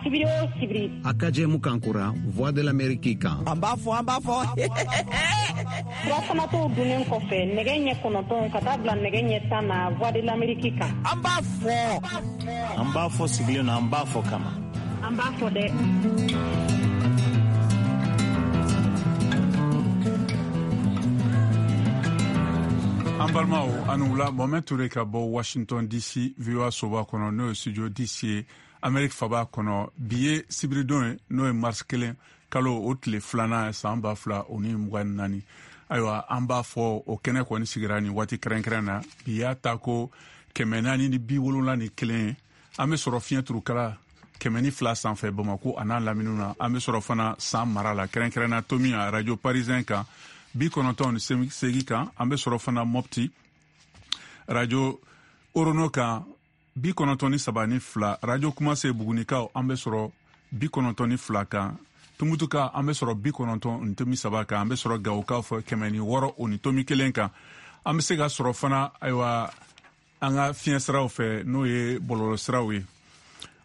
Sibiri o sibiri. A ka jɛmukan kura Voix de l'Amérique kan. An b'a fɔ, an b'a fɔ. Surafanatɔw dunnen kɔfɛ nɛgɛ ɲɛ 9 ka taa bila nɛgɛ ɲɛ 10 na Voix de l'Amérique kan. An b'a fɔ. An b'a fɔ sigilen na, an b'a fɔ kama. An b'a fɔ dɛ. An balimaw, a ni wula. Mohamɛd Ture ka bɔ Washington DC, VOA soba kɔnɔ, n'o ye studio DC ye Amerique faba kɔnɔ. Bi ye sibiridon ye, n'o ye mars 1 kalo o tile 2nan san 2024. Ayiwa, an b'a fɔ o kɛnɛ kɔni sigira nin waati kɛrɛnkɛrɛn na. Bi y'a ta ko 471 ye. An bɛ sɔrɔ fiɲɛ turukala 102 sanfɛ Bamako a n'a laminiw na. An bɛ sɔrɔ fana San mara la, kɛrɛnkɛrɛn na Tomi a radio parisien kan 98 kan. An bɛ sɔrɔ fana Mopti radio Orono kan 93.2, radio Kumase Bugunikaw an bɛ sɔrɔ 92 kan, Tumutuka an bɛ sɔrɔ 90.3 kan, an bɛ sɔrɔ Gawokaw fɛ 106.1 kan. An bɛ se ka sɔrɔ fana, ayiwa, an ka fiɲɛsiraw fɛ, n'o ye bɔlɔlɔsiraw ye.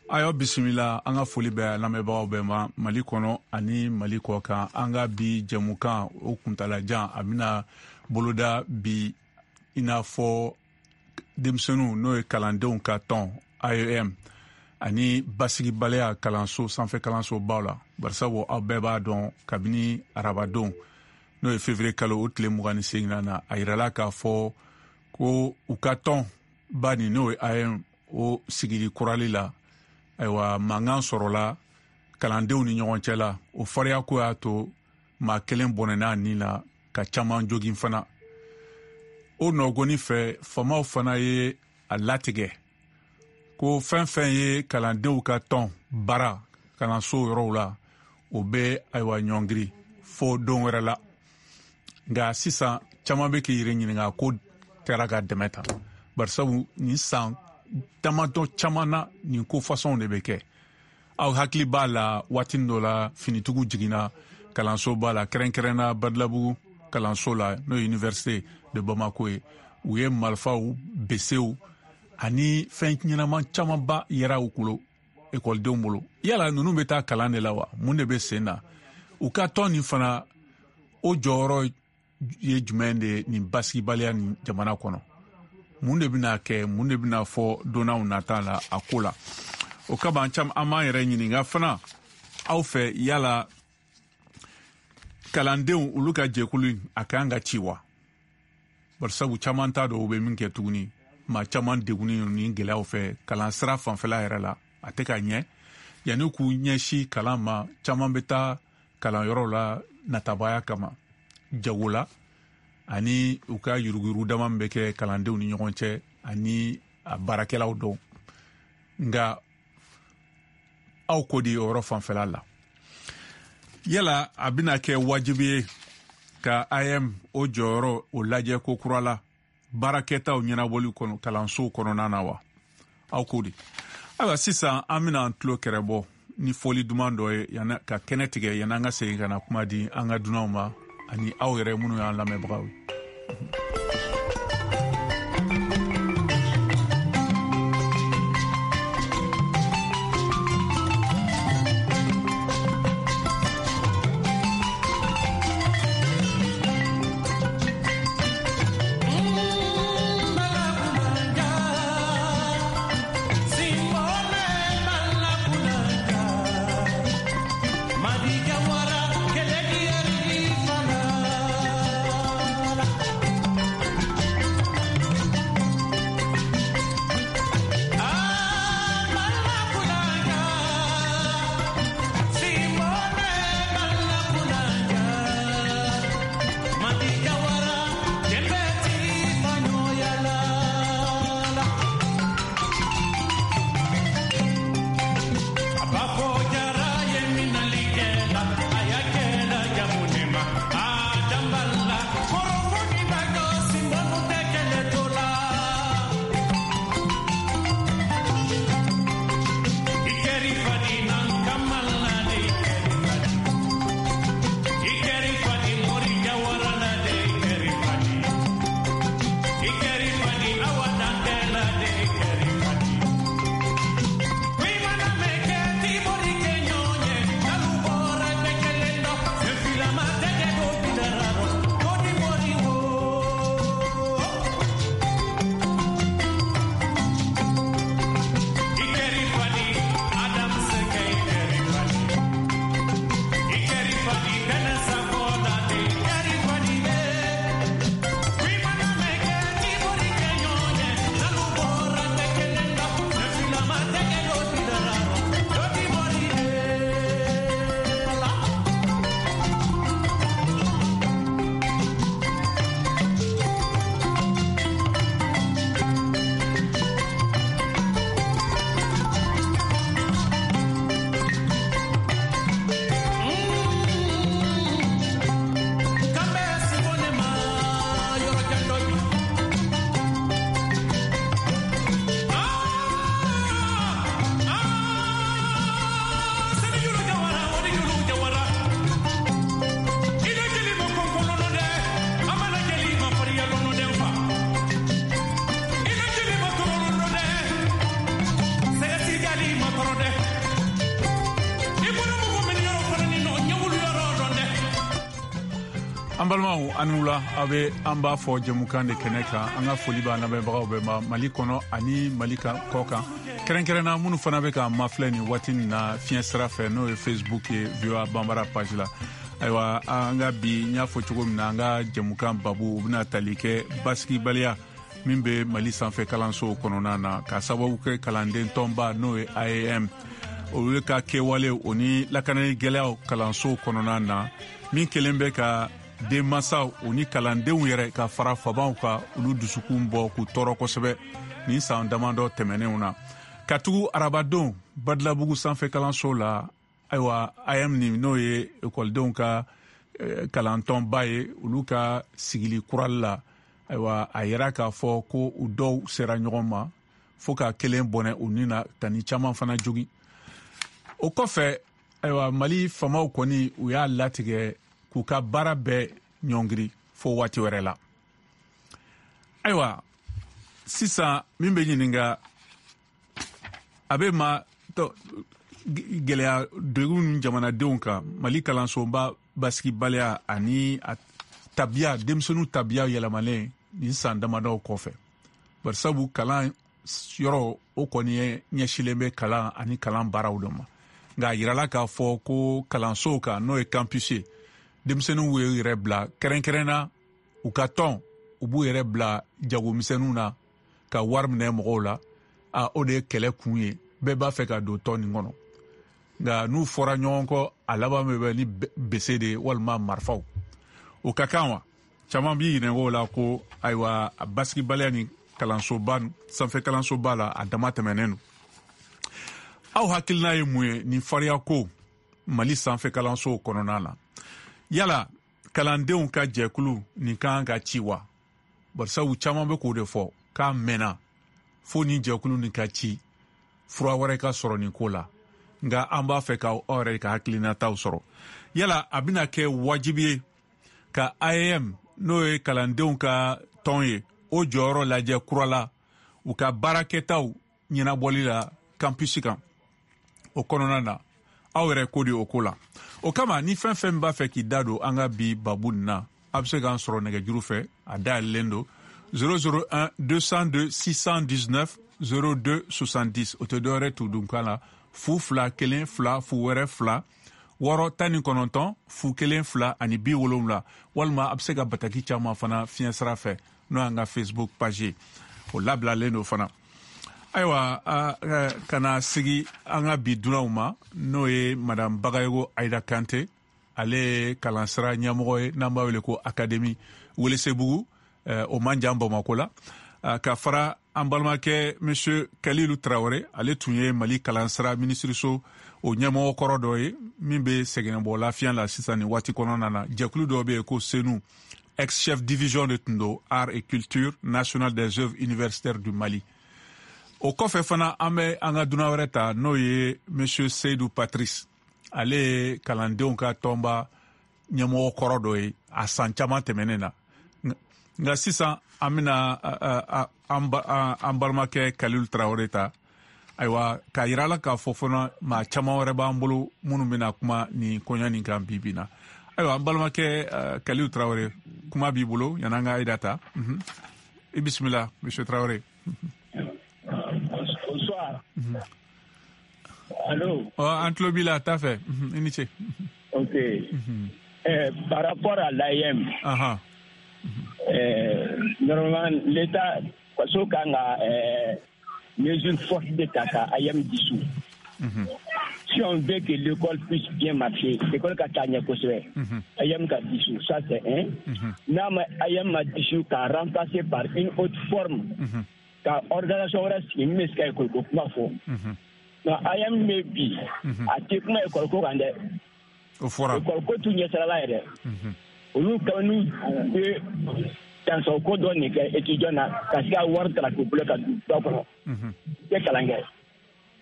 Ayiwa, bisimila. An ka foli bɛ lamɛnbagaw bɛɛ ma Mali kɔnɔ ani Mali kɔ kan. An ka bi jɛmukan o kuntalajan a bɛna boloda bi i n'a fɔ denmisɛnninw, n'o ye kalandenw ka tɔn AEM, ani basigibaliya kalanso sanfɛ kalansobaw la. Barisabu aw bɛɛ b'a dɔn, kabini arabadon, n'o ye février kalo o tile 28 na, a yirala k'a fɔ ko u ka tɔn ba nin, n'o ye AEM, o sigili kurali la, ayiwa, mankan sɔrɔla kalandenw ni ɲɔgɔn cɛ la. O fariyako y'a to maa kelen bɔnɛna ni la ka caman jogin fana. O nɔgɔni fɛ, faamaw fana ye a latigɛ ko fɛn fɛn ye kalandenw ka tɔn baara kalanso yɔrɔw la, o bɛ, ayiwa, ɲɔngiri fo don wɛrɛ la. Nka sisan caman bɛ k'i yɛrɛ ɲininka ko kɛra ka dɛmɛ ta, barisabu nin san damadɔ caman na, nin ko fasɔnw de bɛ kɛ. Aw hakili b'a la, waati dɔ la, finitigiw jiginna kalansoba la, kɛrɛnkɛrɛnna Badalabugu kalanso la, n'o ye Université de Bamako ye. U ye marifaw, besew ani fɛn ɲɛnama camanba yɛrɛ u bolo, ekɔlidenw bolo. Yala ninnu bɛ taa kalan de la wa? Mun de bɛ sen na? U ka tɔn nin fana, o jɔyɔrɔ ye jumɛn de ye nin basigibaliya nin jamana kɔnɔ? Mun de bɛna kɛ? Mun de bɛna fɔ donnaw nata la a ko la? O kama an b'an yɛrɛ ɲininka fana aw fɛ, yala kalandenw olu ka jɛkulu a kan ka ci wa? Barisabu caman t'a dɔn u bɛ min kɛ tuguni. Maa caman degunnen ni gɛlɛyaw fɛ kalansira fanfɛla yɛrɛ la, a tɛ ka ɲɛ. Yanni k'u ɲɛsin kalan ma, caman bɛ taa kalanyɔrɔw la natabaya kama, jago la, ani u ka yuruguyurugu dama min bɛ kɛ kalandenw ni ɲɔgɔn cɛ ani a baarakɛlaw dɔw. Nka aw ko di o yɔrɔ fanfɛla la? Yala a bɛna kɛ wajibi ye ka AEM o jɔyɔrɔ o lajɛ ko kura la baarakɛtaw ɲɛnabɔli kɔnɔ kalansow kɔnɔna na wa? Aw ko di? Ayiwa, sisan an bɛna an tulo kɛrɛ bɔ ni fɔli duman dɔ ye yana ka kɛnɛ tigɛ, yanni an ka segin ka na kuma di an ka dunanw ma ani aw yɛrɛ minnu y'an lamɛnbagaw ye. An balimaw, an wula. Aw bɛ An b'a fɔ jɛmukan de kɛnɛ kan. An ka foli b'an lamɛnbagaw bɛɛ ma, Mali kɔnɔ ani Mali kɔ kan, kɛrɛnkɛrɛnna minnu fana bɛ k'an mafilɛ nin waati nin na fiɲɛ sira fɛ, n'o ye Facebook ye, VOA Banbara page la. Ayiwa, an ka bi, n y'a fɔ cogo min na, an ka jɛmukan babu, u bɛna tali kɛ basigibaliya min bɛ Mali sanfɛ kalansow kɔnɔna na, ka sababu kɛ kalanden tɔnba, n'o ye AEEM, olu ka kɛwale, o ni lakanani gɛlɛyaw kalansow kɔnɔna na, min kelen bɛ ka denmansaw, o ni kalandenw yɛrɛ, ka fara faamaw kan, olu dusukun bɔ k'u tɔɔrɔ kosɛbɛ nin san damadɔ tɛmɛnenw na, ka tugu arabadon Badilabugu sanfɛ kalanso la. Ayiwa, AEEM ni, n'o ye ekɔlidenw ka kalantɔnba ye, olu ka sigili kurali la, ayiwa, a yira k'a fɔ ko u dɔw sera ɲɔgɔn ma fo ka kelen bɔnɛ u ni na, ka ni caman fana jogi. O kɔfɛ, ayiwa, Mali faamaw kɔni, u y'a latigɛ k'u ka baara bɛɛ ɲɔngiri fo waati wɛrɛ la. Ayiwa, sisan min bɛ ɲininka, a bɛ ma gɛlɛya degun jamanadenw kan, Mali kalansoba basigibaliya ani a tabiya, denmisɛnninw tabiya yɛlɛmalen nin san damadɔw kɔfɛ. Barisabu kalan yɔrɔ, o kɔni ye ɲɛsilen bɛ kalan ani kalan baaraw de ma, nka a yirala k'a fɔ ko kalansow kan, n'o ye campus ye, denmisɛnninw y'u yɛrɛ bila, kɛrɛnkɛrɛnna u ka tɔn, u b'u yɛrɛ bila jagomisɛnninw na ka wari minɛ mɔgɔw la. A o de ye kɛlɛ kun ye. Bɛɛ b'a fɛ ka don tɔn nin kɔnɔ, nka n'u fɔra ɲɔgɔn kɔ, a laban bɛ bɛ ni bese de ye walima marifaw. O ka kan wa? Caman b'i ɲininka o la ko ayiwa, a basigibaliya ni kalansoba, sanfɛ kalansoba la, a dama tɛmɛnen don. Aw hakilina ye mun ye nin fariya ko Mali sanfɛ kalansow kɔnɔna na? Yala kalandenw ka jɛkulu nin kan ka ci wa? Barisabu caman bɛ k'o de fɔ k'a mɛnna fo nin jɛkulu nin ka ci, fura wɛrɛ ka sɔrɔ nin ko la. Nka an b'a fɛ ka aw yɛrɛ ka hakilinataw sɔrɔ. Yala a bɛna kɛ wajibi ye ka AEEM, n'o ye kalandenw ka tɔn ye, o jɔyɔrɔ lajɛ kura la u ka baarakɛtaw ɲɛnabɔli la campus kan o kɔnɔna na? Aw yɛrɛ ko de o ko la. O kama, ni fɛn fɛn b'a fɛ k'i da don an ka bi babu nin na, a bɛ se k'an sɔrɔ nɛgɛjuru fɛ, a dayɛlɛlen don, 001 202 619 02 70. O tɛ dɔwɛrɛ tudunkan la, 0 2 1 2 0 wɛrɛ 2 6 19 0 1 2 ani 70. Walima a bɛ se ka bataki caman fana fiɲɛ sira fɛ, n'o y'an ka Facebook page ye, o labilalen don fana. Ayiwa, ka na sigi an ka bi dunanw ma, n'o ye Madame Bagayogo Ayida Kante, ale ye kalansira ɲɛmɔgɔ ye, n'an b'a wele ko Académie Welesebugu, o man jan Bamako la, ka fara an balimakɛ Monsieur Kalilu Tarawele, ale tun ye Mali kalansira minisiriso o ɲɛmɔgɔ kɔrɔ dɔ ye, min bɛ sɛgɛnbɔ lafiya la sisan nin waati kɔnɔna na. Jɛkulu dɔ bɛ yen ko SENU, ex chef division de tun don, art et culture nationale des œuvres universitaires du Mali. O kɔfɛ fana, an bɛ an ka dunan wɛrɛ ta, n'o ye Monsieur Seydou Patrice, ale ye kalandenw ka tɔnba ɲɛmɔgɔ kɔrɔ dɔ ye a san caman tɛmɛnen na. Nka sisan, an bɛna an balimakɛ Kalilu Tarawele ta. Ayiwa, k'a yira la k'a fɔ fana, maa caman wɛrɛ b'an bolo minnu bɛna kuma nin koɲɛ nin kan bi bi na. Ayiwa, an balimakɛ Kalilu Tarawele, kuma b'i bolo yan'an ka Ayida ta. I bisimila, Monsieur Tarawele. Bonsoir. Allô? An tulo b'i la, a t'a fɛ. I ni ce. Ok. Par rapport à l'AEEM, normalement, l'État, faso kan ka mesure forte de ta ka AEEM dissous. Si on veut que l'école puisse bien marcher, l'école ka taa ɲɛ kosɛbɛ, AEEM ka dissous, ça c'est un. N'a ma AEEM ma dissous, k'a remplacer par une autre forme, ka organisation wɛrɛ sigi min bɛ se ka école ko kuma fɔ. Nka AEEM bɛ bi, a tɛ kuma école ko kan dɛ. O fɔra. École ko t'u ɲɛsirala yɛrɛ. Olu ka n'u bɛ dansɔn ko dɔ nin kɛ étudiant na, ka se ka wari ta k'u bolo ka don ba kɔnɔ, tɛ kalan kɛ.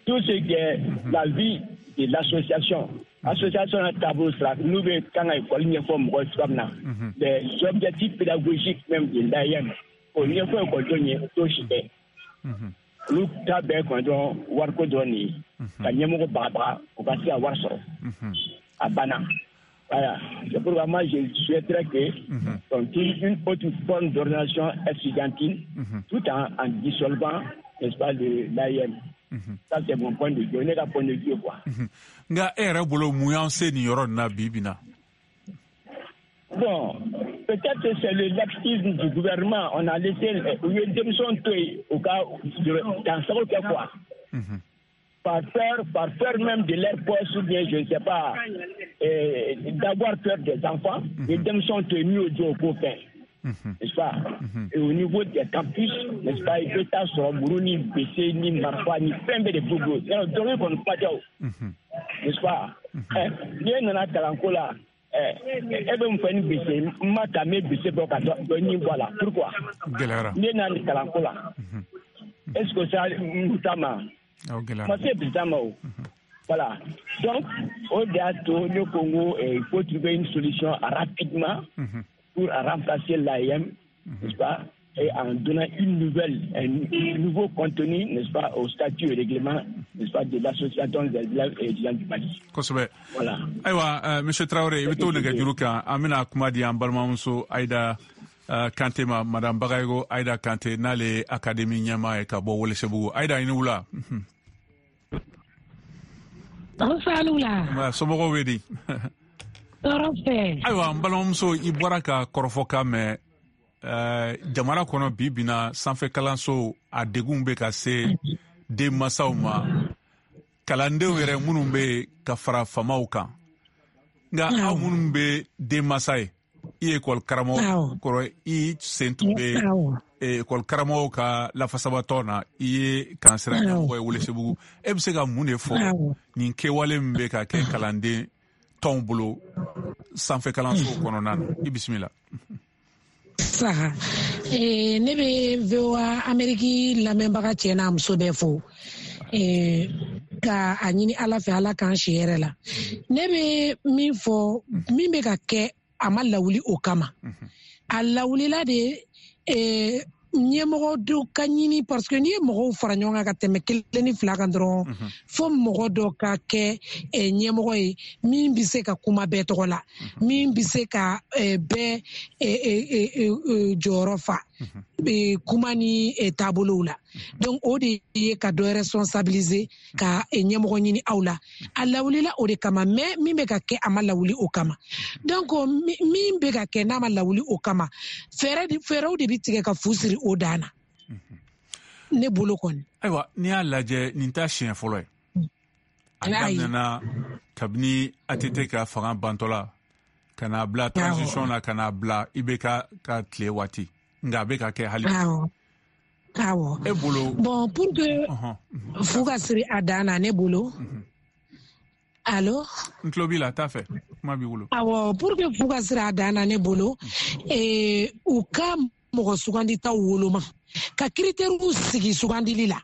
Tout ce qui est la vie de l'association, association na taabolo sira, n'u bɛ kan ka école ɲɛfɔ mɔgɔw ye cogoya min na, les objectifs pédagogiques même de l'AEEM, o ɲɛfɔ école ye, o t'o si kɛ. Olu ta bɛɛ kɔni dɔrɔn, wariko dɔrɔn de ye, ka ɲɛmɔgɔ bagabaga, u ka se ka wari sɔrɔ, a banna. Voilà. C'est pourquoi moi je souhaiterais que qu'on trouve une autre forme d'organisation estudiantine, tout en dissolvant, n'est-ce pas, l'AEEM. Ça, c'est mon point de vue. Ne ka point de vue, quoi. Nka e yɛrɛ bolo, mun y'an se nin yɔrɔ nin na bi bi na? Bon, peut-être que c'est le laxisme du gouvernement. On a laissé u ye denmisɛnw to yen u ka dansago kɛ, quoi. Par peur même de leur poste ou bien, je ne sais pas, d'avoir peur des enfants, les denmisɛnw to yen min y'o jɔ o k'o fɛ. N'est-ce pas? Et au niveau des campus, n'est-ce pas, i bɛ taa sɔrɔ muru ni bese ni marifa ni fɛn bɛɛ de b'u bolo. Yɔrɔ dɔrɔn kɔni kuma tɛ o. N'est-ce pas? Ni e nana kalanko la, e bɛ mun fɔ ni bese n ma ta, n bɛ bese bɔ ka dɔ ɲin bɔ a la? Pourquoi? Gɛlɛyara. Ni e nana kalanko la, est-ce que ça ta ma? Awɔ, gɛlɛyara. Ma se bisa ma o. Voilà. Donc, o de y'a to ne ko n ko il faut trouver une solution rapidement pour remplacer l'AEEM, n'est-ce pas, et en donnant un nouveau contenu, n'est-ce pas, au statut et règlement, n'est-ce pas, de l'association des élèves et étudiants du Mali. Kosɛbɛ. Voilà. Ayiwa, monsieur Traoré, i bɛ to nɛgɛjuru kan. An bɛna kuma di an balimamuso Aïda Kante ma, madame Bagayogo Aïda Kante, n'ale ye académie ɲɛmaa ye ka bɔ Welesebugu. Aïda, i ni wula. Nsa. Somɔgɔw bɛ di? Tɔɔrɔ fɛ. Ayiwa, n balimamuso, i bɔra ka kɔrɔfɔkan mɛn. Jamana kɔnɔ bi bi na, sanfɛ kalanso a degun bɛ ka se denmansaw ma, kalandenw yɛrɛ minnu bɛ yen ka fara famaw kan. Nka aw minnu bɛ denmansa ye, i ye ekɔli karamɔgɔ kɔrɔ, i sen tun bɛ ekɔli karamɔgɔw ka lafasabatɔ na, i ye kansira ɲɛmɔgɔ ye Welesebugu, e bɛ se ka mun de fɔ nin kɛwale min bɛ ka kɛ kalanden tɔnw bolo sanfɛ kalansow kɔnɔna na? I bisimila. Saha, ne bɛ VOA Ameriki lamɛnbaga cɛ n'a muso bɛɛ fo ka a ɲini Ala fɛ, Ala k'an si hɛrɛ la. Ne bɛ min fɔ, min bɛ ka kɛ, a ma lawuli o kama. A lawulila de ɲɛmɔgɔ dɔ ka ɲini, parce que n'i ye mɔgɔw fara ɲɔgɔn kan ka tɛmɛ kelen ni fila kan dɔrɔn, fo mɔgɔ dɔ ka kɛ ɲɛmɔgɔ ye min bɛ se ka kuma bɛɛ tɔgɔ la, min bɛ se ka bɛɛ jɔyɔrɔ fa kuma ni taabolow la. Donc o de ye ka dɔ responsabiliser, ka ɲɛmɔgɔ ɲini aw la. A lawulila o de kama, mais min bɛ ka kɛ, a ma lawuli o kama. Donc min bɛ ka kɛ, n'a ma lawuli o kama, fɛɛrɛw de bɛ tigɛ ka fu siri o dan na, ne bolo kɔni. Ayiwa, n'i y'a lajɛ, nin t'a siɲɛ fɔlɔ ye. A daminɛna kabini ATT ka fanga bantɔ la ka n'a bila transition na, ka n'a bila IBK ka tile waati, nka a bɛ ka kɛ hali. Awɔ. E bolo? Bon, pour que fu ka siri a dan na, ne bolo, allo? N tulo b'i la, t'a fɛ, kuma b'i bolo. Awɔ, pour que fu ka siri a dan na, ne bolo, u ka mɔgɔ suganditaw woloma ka critères sigi sugandili la.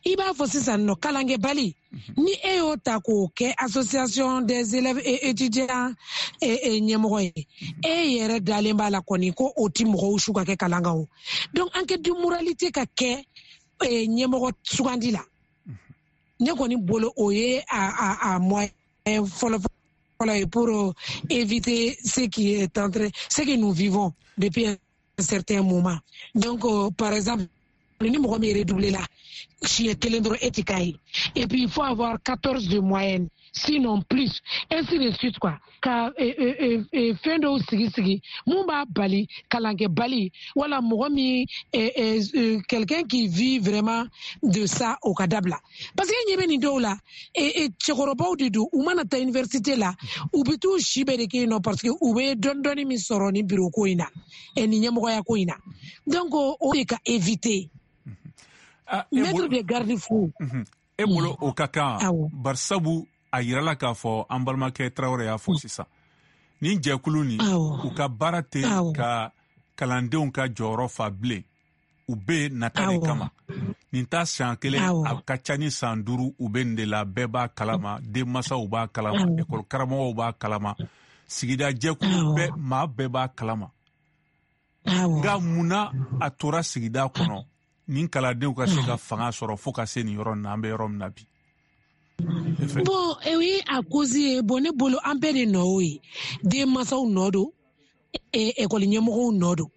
I b'a fɔ sisan nɔ, kalankɛbali, ni e y'o ta k'o kɛ association des élèves et étudiants ɲɛmɔgɔ ye, e yɛrɛ dalen b'a la kɔni ko o ti mɔgɔw su ka kɛ kalan kan o. Donc enquête de moralité ka kɛ ɲɛmɔgɔ sugandi la, ne kɔni bolo, o ye a moyen fɔlɔ fɔlɔ ye pour éviter ce qui est en train, ce que nous vivons depuis un certain moment. Donc par exemple, ni mɔgɔ min redoublé la siɲɛ kelen dɔrɔn, e ti k'a ye. Et puis il faut avoir 14 de moyenne, sinon plus, ainsi de suite, quoi. Ka fɛn dɔw sigi sigi mun b'a bali kalankɛbali wala mɔgɔ min, quelqu'un qui vit vraiment de ça, o ka dabila, parce que e ɲɛ bɛ nin dɔw la, cɛkɔrɔbaw de don. U mana taa université la, u bɛ t'u si bɛɛ de kɛ yen nɔ, parce que u bɛ dɔɔni dɔɔni min sɔrɔ nin bureau ko in na, nin ɲɛmɔgɔya ko in na. Donc o de ka éviter, mettre des garde-fous. E bolo, o ka kan? Barisabu a yirala k'a fɔ, an balimakɛ Tarawele y'a fɔ sisan, nin jɛkulu nin, u ka baara tɛ ka kalandenw ka jɔyɔrɔ fa bilen, u bɛ nata de kama. Nin ta san kelen, a ka ca ni san 5 u bɛ nin de la. Bɛɛ b'a kalama, denmansaw b'a kalama, ekɔli karamɔgɔw b'a kalama, sigida jɛkulu bɛɛ, maa bɛɛ b'a kalama. Nka munna a tora sigida kɔnɔ nin kalandenw ka se ka fanga sɔrɔ fo ka se nin yɔrɔ nin na, an bɛ yɔrɔ min na bi? Bon, oui, a cause ye, bon, ne bolo an bɛɛ de nɔ y'o ye. Denmansaw nɔ don, ekɔli ɲɛmɔgɔw nɔ don.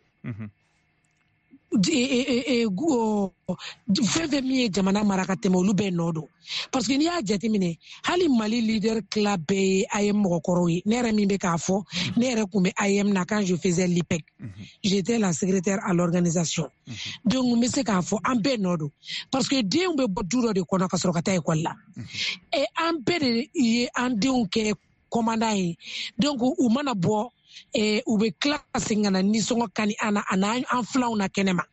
Fɛn fɛn min ye jamana mara ka tɛmɛ, olu bɛɛ nɔ don, parce que n'i y'a jateminɛ, hali Mali leader tila bɛɛ ye AEEM mɔgɔkɔrɔw ye. Ne yɛrɛ min bɛ k'a fɔ, ne yɛrɛ tun bɛ AEEM na quand je faisais l'IPEC, j'étais la secrétaire à l'organisation. Donc n bɛ se k'a fɔ an bɛɛ nɔ don, parce que denw bɛ bɔ du dɔ de kɔnɔ ka sɔrɔ ka taa ekɔli la, et an bɛɛ de ye an denw kɛ commandant ye. Donc u mana bɔ, u bɛ tila ka segin ka na nisɔngɔ kani an na, a n'an filanw na kɛnɛma.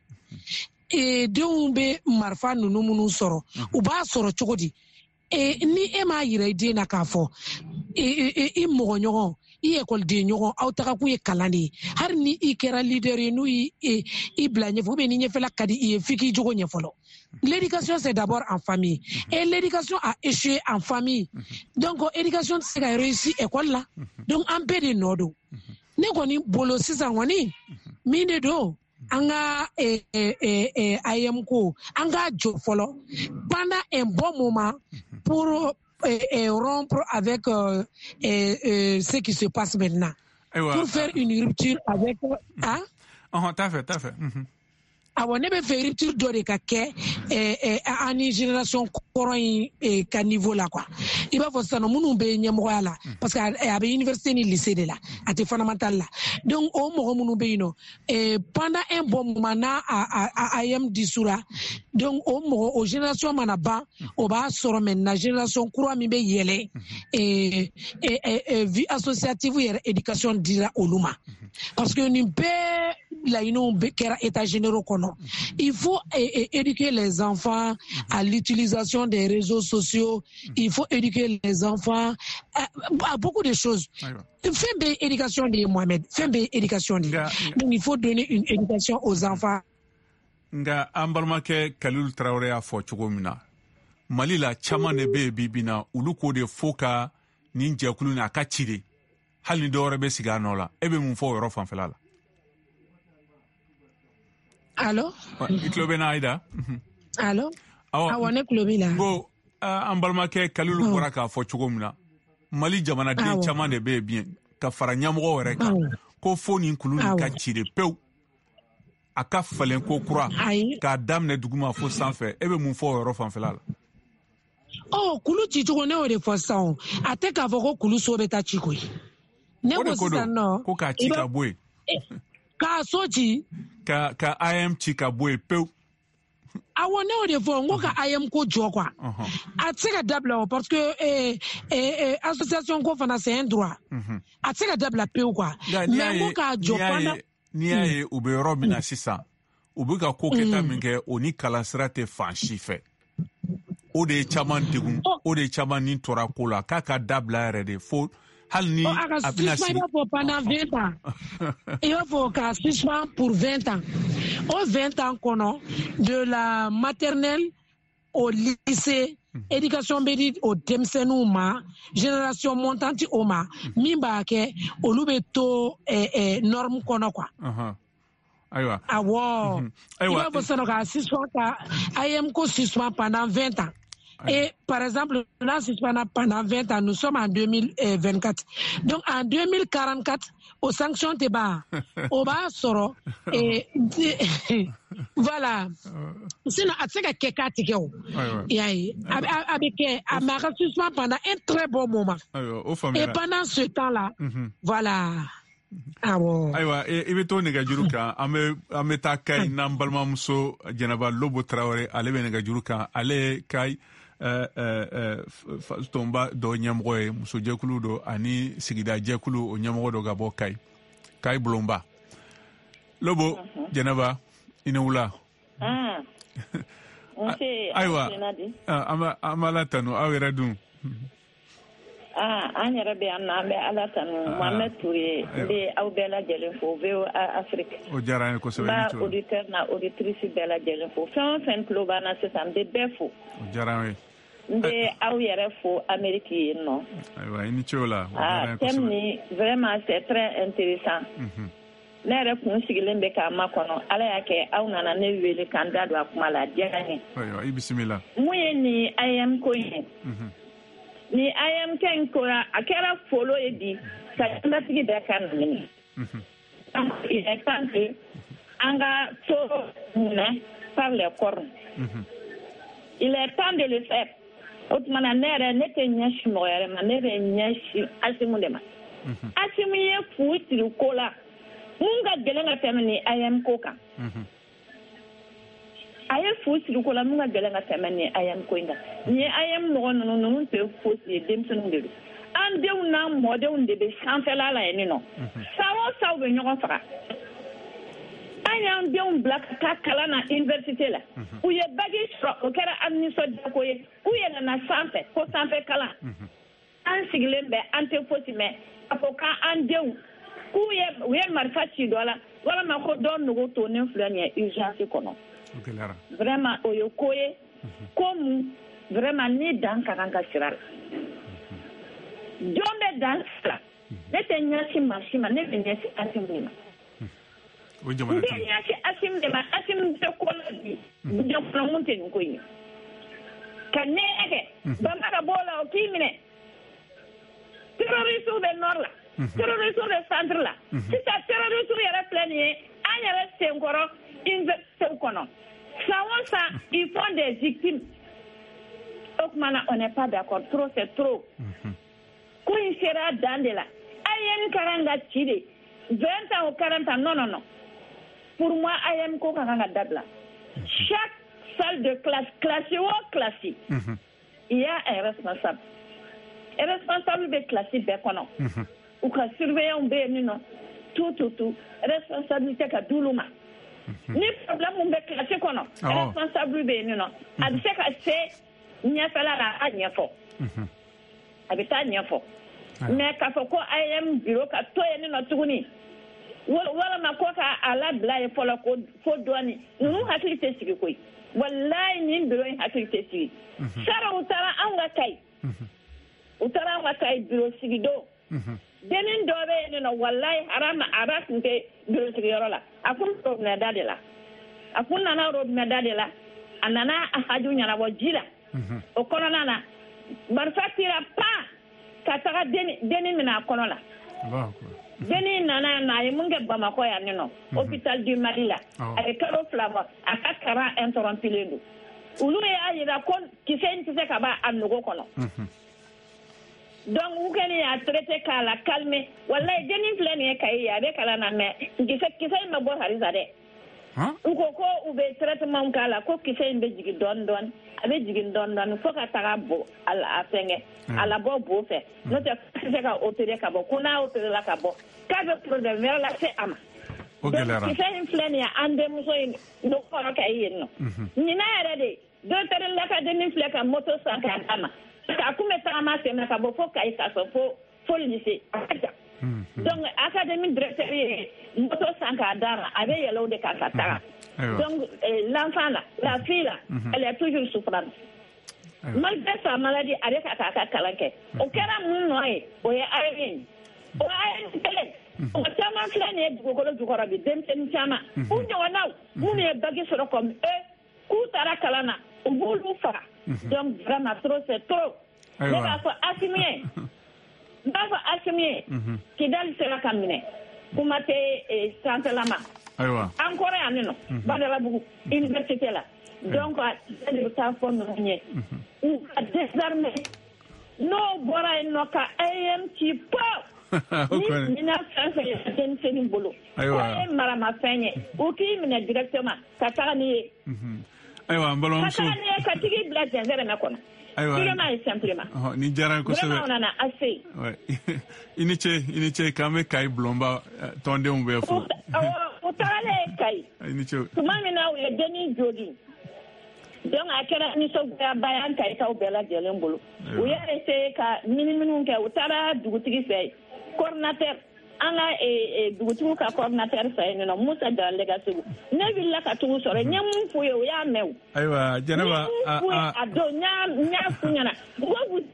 Denw bɛ marifa ninnu minnu sɔrɔ, u b'a sɔrɔ cogo di? Ni e m'a yira i den na k'a fɔ i mɔgɔ ɲɔgɔn, i ekɔliden ɲɔgɔn, aw tagakun ye kalan de ye, hali ni i kɛra leader ye, n'u y'i bila ɲɛfɛ ou bien ni ɲɛfɛla ka di i ye, f'i k'i jogo ɲɛ fɔlɔ. L'éducation, c'est d'abord en famille, et l'éducation a échoué en famille, donc éducation tɛ se ka réussir école la. Donc an bɛɛ de nɔ don. Ne kɔni bolo sisan kɔni, min de don, an ka AEEM ko, an k'a jɔ fɔlɔ pendant un bon moment pour rompre avec ce qui se passe maintenant, pour faire une rupture avec, hein? Ɔhɔn, t'a fɛ, t'a fɛ. Awɔ, ne bɛ fɛ rupture dɔ de ka kɛ an ni génération kɔrɔ in ka niveau la quoi. I b'a fɔ sisan nɔ, minnu bɛ ɲɛmɔgɔya la, parce que a bɛ université ni lycée de la, a tɛ fondamental la. Donc o mɔgɔ minnu bɛ yen nɔ, pendant un bon moment, n'a a AEEM dissoudra, donc o mɔgɔ, o génération mana ban, o b'a sɔrɔ maintenant génération kura min bɛ yɛlɛ, vie associative yɛrɛ, éducation dira olu ma, parce que nin bɛɛ laɲiniw bɛ kɛra état généraux kɔnɔ. Il faut éduquer les enfants à l'utilisation des réseaux sociaux, il faut éduquer les enfants à beaucoup de choses. Fɛn bɛɛ ye éducation de ye, Mohamed, fɛn bɛɛ ye éducation de ye. Donc il faut donner une éducation aux enfants. Nka an balimakɛ Kalilu Tarawele y'a fɔ cogo min na, Mali la, caman de bɛ yen bi bi na, olu k'o de fo ka nin jɛkulu nin a ka ci de, hali ni dɔwɛrɛ bɛ sigi a nɔ la. E bɛ mun fɔ o yɔrɔ fanfɛla la? Allo? I tulo bɛ na, Ayida? Allo? Awɔ, ne tulo b'i la. N ko an balimakɛ Kalilu bɔra k'a fɔ cogo min na, Mali jamanaden caman de bɛ yen bi, ka fara ɲɛmɔgɔw yɛrɛ kan, ko fo nin kulu nin ka ci de pewu, a ka falen ko kura k'a daminɛ duguma fo sanfɛ. E bɛ mun fɔ o yɔrɔ fanfɛla la? Ɔ, kulu cicogo, ne y'o de fɔ sisan. O a tɛ k'a fɔ ko kulu so bɛ taa ci koyi. Ne ko sisan nɔ, ko k'a ci ka bɔ yen. K'a so ci. Ka AEEM ci ka bɔ yen pewu. Awɔ, ne y'o de fɔ, n ko ka AEEM ko jɔ quoi. A tɛ se ka dabila o, parce que association ko fana, c'est un droit. A tɛ se ka dabila pewu quoi, mais n ko k'a jɔ pendant. N'i y'a ye u bɛ yɔrɔ min na sisan, u bɛ ka ko kɛta min kɛ, o ni kalansira tɛ fan si fɛ. O de ye caman degun, o de ye caman ni tora ko la k'a ka dabila yɛrɛ de, fo hali ni a bɛna sigi. I b'a fɔ pendant 20 ans, i b'a fɔ ka suspend pour 20 ans. O 20 ans kɔnɔ, de la maternelle au lycée, éducation bɛ di o denmisɛnninw ma, génération montante o ma, min b'a kɛ olu bɛ to norme kɔnɔ quoi. Ayiwa. Awɔ. I b'a fɔ sisan ka suspend, ka AEEM ko suspend pendant 20 ans. Et par exemple, là, pendant 20 ans, nous sommes en 2024. Donc en 2044, aux sanctions tɛ ban, o b'a sɔrɔ, et voilà. Sinon, a tɛ se ka kɛ k'a tigɛ o. I y'a ye, a bɛ kɛ, mais a ka suspend pendant un très bon moment. Et pendant ce temps-là, voilà. Awɔ. Ayiwa, i bɛ to nɛgɛjuru kan. An bɛ taa Kayi n'an balimamuso Jɛnɛba Lobo Tarawele, ale bɛ nɛgɛjuru kan. Ale ye Kayi tɔnba dɔ ɲɛmɔgɔ ye, musojɛkulu dɔ ani sigida jɛkulu, o ɲɛmɔgɔ dɔ ka bɔ Kayi, Kayi Bulonba. Lobo Jɛnɛba, i ni wula. Ayiwa, an b'a la tanu, aw yɛrɛ dun? An yɛrɛ bɛ yan nɔ, an bɛ Ala tanu. Mohamed Touré, n bɛ aw bɛɛ lajɛlen fo, VOA Afrique. O diyara an ye kosɛbɛ. N b'a auditeur n'a auditrice bɛɛ lajɛlen fo, fɛn o fɛn tulo b'an na sisan, n bɛ bɛɛ fo. O diyara an ye. N bɛ aw yɛrɛ fo Amérique yen nɔ. Ayiwa, i ni ce o la. Ah, thème nin, vraiment, c'est très intéressant. Ne yɛrɛ kun sigilen bɛ k'a makɔnɔ, Ala y'a kɛ aw nana ne wele k'an da don a kuma la, a diyara n ye. Ayiwa, i bisimila. Mun ye nin AEEM ko in ye? Ni AEEM in kora a kɛra folo ye bi ka jamatigi bɛɛ ka na minɛ. Donc il est temps que an ka taureau minɛ par les cornes. Il est temps de le faire. O tuma na ne yɛrɛ ne tɛ ɲɛsin mɔgɔ yɛrɛ ma, ne bɛ ɲɛsin Asimu de ma. Asimu ye fu siri ko la mun ka gɛlɛn ka tɛmɛ ni AEEM ko kan. A ye fu siri ko la mun ka gɛlɛn ka tɛmɛ ni AEEM ko in kan. Nin ye AEEM mɔgɔ ninnu tɛ fosi ye, denmisɛnninw de don. An denw n'an mɔdenw de bɛ sanfɛla la yen nɔ. San o san u bɛ ɲɔgɔn faga. An y'an denw bila ka taa kalan na université la. U ye bac sɔrɔ, o kɛra an nisɔndiyako ye. U yɛlɛnna sanfɛ ko sanfɛ kalan. An sigilen bɛ, an tɛ fosi mɛn. A fɔ k'an denw k'u ye u ye marifa ci dɔ la, walima ko dɔ nugu tonnen filɛ nin ye urgence kɔnɔ. Vraiment o ye ko ye, ko mun vraiment ni dan ka kan ka sira la. Jɔn bɛ dan sira? Ne tɛ ɲɛsin maa si ma, ne bɛ ɲɛsin Asimu de ma. N bɛ ɲɛsin Asimu de ma. Asimu tɛ ko la bi diɲɛ kɔnɔ mun tɛ nin ko in ye. Ka nɛgɛ kɛ bama ka bɔ o la, o k'i minɛ. Terroristes bɛ nord la, terroristes bɛ centre la. Sisan terroristes yɛrɛ filɛ nin ye an yɛrɛ senkɔrɔ université kɔnɔ. San o san ils font des victimes. O tuma na on n'est pas d'accord, trop c'est trop. Ko in sera dan de la. AEEM ka kan ka ci de 20 ans ou 40 ans, non non non. Pour moi AEEM ko ka kan ka dabila. Chaque salle de classe, classe o classe, il y a un responsable. Un responsable bɛ classe bɛɛ kɔnɔ. U ka surveillant bɛ yen nɔ, tout tout tout. Responsabilité ka d'olu ma. Ni problème mun bɛ classe kɔnɔ, responsable bɛ yen nɔ. A bɛ se ka se ɲɛfɛla la, a ɲɛfɔ. A bɛ taa ɲɛfɔ. Mais k'a fɔ ko AEEM bureau ka to yen nɔ tuguni, walima ko ka a labila yen fɔlɔ ko fo dɔɔni, ninnu hakili tɛ sigi koyi. Walayi nin bureau in hakili tɛ sigi. Sara u taara anw ka Kayi. U taara anw ka Kayi bureau sigi don. Dennin dɔ bɛ yen nɔ, walayi harama a b'a tun tɛ bureau sigiyɔrɔ la. A kun robinet da de la. A kun nana robinet da de la. A nana a haju ɲɛnabɔ ji la. O kɔnɔna na marifa tira pan ka taga dennin minɛ a kɔnɔ la. Dennin nana na, a ye mun kɛ Bamakɔ yan nɔ, hôpital du Mali la. A ye kalo 2 bɔ, a ka kalan interrompulen don. Olu y'a jira ko kisɛ in tɛ se ka bɔ a nogo kɔnɔ. Donc u kɛlen y'a traité k'a la calmer. Walayi dennin filɛ nin ye Kayi, a bɛ kalan na, mais kisɛ in ma bɔ halisa dɛ. U ko ko u bɛ traitement k'a la, ko kisɛ in bɛ jigin dɔɔni dɔɔni, a bɛ jigin dɔɔni dɔɔni fo ka taga bo a fɛngɛ, a labɔ bo fɛ. N'o tɛ tɛ se ka opérer ka bɔ, ko n'a opérer la ka bɔ, k'a bɛ problème wɛrɛ lase a ma. Donc kisɛ in filɛ nin ye an denmuso in nogo kɔnɔ Kayi yen nɔ. Ɲinan yɛrɛ de directeur de l'académie filɛ ka moto san k'a d'a ma. Parce que a kun bɛ tagama sen na ka bɔ fo Kayi ka sɔn fo lycée. A ka jan. Donc académie directeur ye moto san k'a d'a ma, a bɛ yɛlɛ o de kan ka taga. Donc l'enfant là, la fille là, elle est toujours souffrante. Malgré sa maladie, a bɛ ka k'a ka kalan kɛ. O kɛra mun nɔ ye? O ye AEEM ye. O AEEM kelen. Mɔgɔ caman filɛ nin ye dugukolo jukɔrɔ bi, denmisɛnnin caman. U ɲɔgɔnnaw minnu ye bac sɔrɔ comme eux, k'u taara kalan na, u b'olu faga. Donc vraiment trop c'est trop. Ne b'a fɔ Asimi ye. N b'a fɔ Asimi ye. Kidali sera ka minɛ. Kuma tɛ sanfɛla ma. An kɔrɔ yan nɔ, Badalabugu université la. Donc ne de bɛ taa fɔ ninnu ye. U ka désarmer. N'o bɔra yen nɔ ka AEEM ci pewu. Ni minɛn fɛn fɛn ye denmisɛnnin bolo, k'o ye maramafɛn ye, u k'i minɛ directement ka taga n'i ye. Ayiwa n balimamuso. Ka taga n'i ye ka tigi bila jɛnsɛrɛmɛ kɔnɔ. Purement et simplement. Nin diyara n ye kosɛbɛ. Vraiment on en a assez. I ni ce, i ni ce, k'an bɛ Kayi bulonba tɔndenw bɛɛ fo. U tagalen ye Kayi. I ni ce. Tuma min na u ye dennin jogin. Donc a kɛra nisɔngoyaba ye an Kayikaw bɛɛ lajɛlen bolo. U y'a essayé ka miniminiw kɛ, u taara dugutigi fɛ yen. Coordinateur, an ka dugutigiw ka coordinateur fɛ yen nɔ, Musa Darale ka Segu. Ne wulila ka tugu sɔrɔ, n ye mun f'u ye, u y'a mɛn o. Ayiwa Jɛnɛba. N ye mun f'u ye a don, n y'a f'u ɲɛna. N ko vous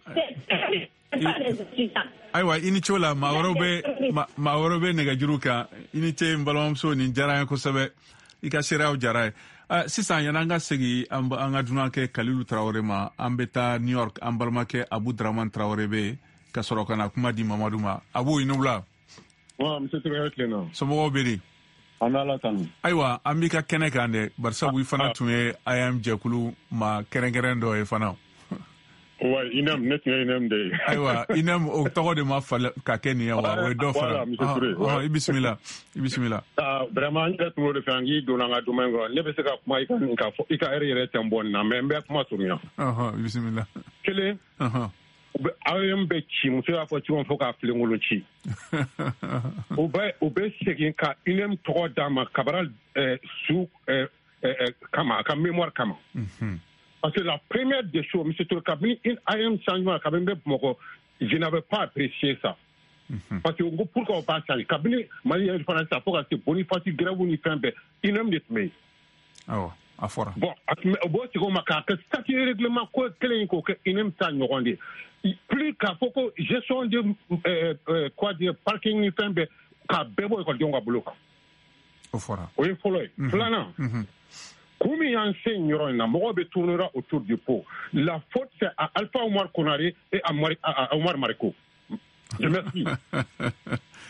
Ayiwa i ni ce o la, maa wɛrɛw bɛ nɛgɛjuru kan. I ni ce n balimamuso, nin diyara n ye kosɛbɛ. I ka seereyaw diyara ye. Sisan yan'an ka segin an ka dunankɛ Kalilu Tarawele ma, an bɛ taa New York, an balimakɛ Abu Dramane Tarawele bɛ yen ka sɔrɔ ka na kuma di Mamadu ma. Abu, i ni wula. Monsieur Touré, tilenna. Somɔgɔw bɛ di? An bɛ Ala tanu. Ayiwa, an b'i ka kɛnɛ kan dɛ, barisabu i fana tun ye AEEM jɛkulu ma kɛrɛnkɛrɛn dɔ ye fana. Ouais, INEM, ne tun ye INEM de ye. Ayiwa, INEM o tɔgɔ de ma falen ka kɛ nin ye wa, o ye dɔ fara. Voilà, monsieur Touré. I bisimila, i bisimila. Ah, vraiment, n yɛrɛ tun b'o de fɛ, an k'i donna an ka domaine kɔnɔ. Ne bɛ se ka kuma i ka nin ka fɔ, i ka heure yɛrɛ tɛ n bɔ nin na, mais n bɛ kuma surunya. I bisimila. Kelen, AEEM bɛ ci, muso y'a fɔ cogo min fo k'a filenkolon ci. U bɛ segin ka INEM tɔgɔ d'a ma Kabral su kama, a ka mémoire kama. Parce que la première des choses, M. Touré, kabini AEEM changement, kabini bɛ Bamakɔ, je n'avais pas apprécié ça. Parce que pourquoi on passe ça? Kabini Mali indépendance fo ka se Boniface grève ni fɛn bɛɛ, INEM de tun bɛ yen. Awɔ, a fɔra. Bon, o b'o segin o ma k'a kɛ statut règlement ko kelen in k'o kɛ INEM ta ɲɔgɔn de ye. Plus k'a fɔ ko gestion de quoi dire, parking ni fɛn bɛɛ, k'a bɛɛ bɔ ekɔlidenw ka bolo kan. O fɔra. O ye fɔlɔ ye. Filanan. Kun min y'an se nin yɔrɔ in na, mɔgɔw bɛ tournera autour du pot. La faute, c'est à Alpha Omar Konaré et à Omar Mariko. Je m'excuse.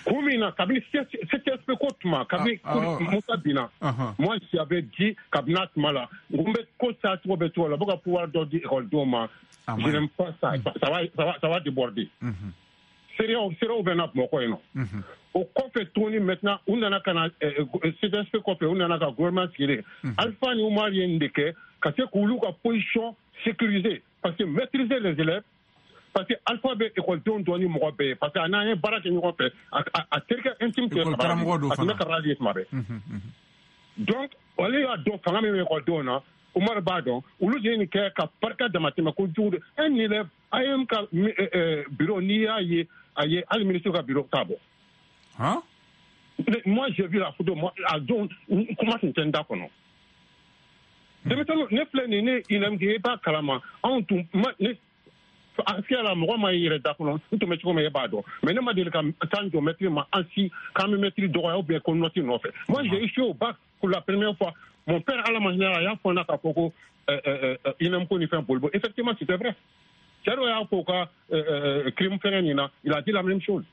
Kun min na, kabini CTSP ko tuma, kabini Musa binna, moi j'avais dit kabini a tuma la, n ko n bɛ ko taa cogo bɛ cogo la, u bɛ ka pouvoir dɔ di ekɔlidenw ma. Je n'aime pas ça. Ça va déborder. CEDEAO bɛ na Bamakɔ yen nɔ. O kɔfɛ tuguni maintenant, u nana ka na CTSP kɔfɛ, u nana ka gouvernement sigilen. Alpha ni Umar ye nin de kɛ ka se k'olu ka position sécuriser, parce que maîtriser les élèves, parce que Alpha bɛ ekɔlidenw dɔn ni mɔgɔ bɛɛ ye, parce que a n'an ye baara kɛ ɲɔgɔn fɛ, a terikɛ intime tun ye Kabral ye, a tun bɛ Kabral ye tuma bɛɛ. Donc ale y'a dɔn fanga min bɛ ekɔlidenw na, Umar b'a dɔn, olu de ye nin kɛ ka barika damatɛmɛ kojugu de. Un élève AEEM ka bureau, n'i y'a ye, a ye hali ministre ka bureau t'a bɔ. Hein? Moi, j'ai vu la photo, moi, à don, comment c'est un d'accord, non? Ne filɛ nin ne INEM kɛ, i b'a kalama, anw tun ma ne a fiyɛ la, mɔgɔ ma yɛrɛ da kɔnɔ, n tun bɛ cogo min e b'a dɔn, mais ne ma deli ka taa n jɔ mɛtiri ma an si k'an bɛ mɛtiri dɔgɔya ou bien ko note nɔfɛ. Moi, j'ai échoué au bac pour la première fois. Mon père, Ala ma hinɛ a la, a y'a fɔ n na k'a fɔ ko INEM ko ni fɛn boli boli. Effectivement, c'était vrai. Cɛ dɔ y'a fɔ u ka crime fɛngɛ nin na, il a dit la même chose.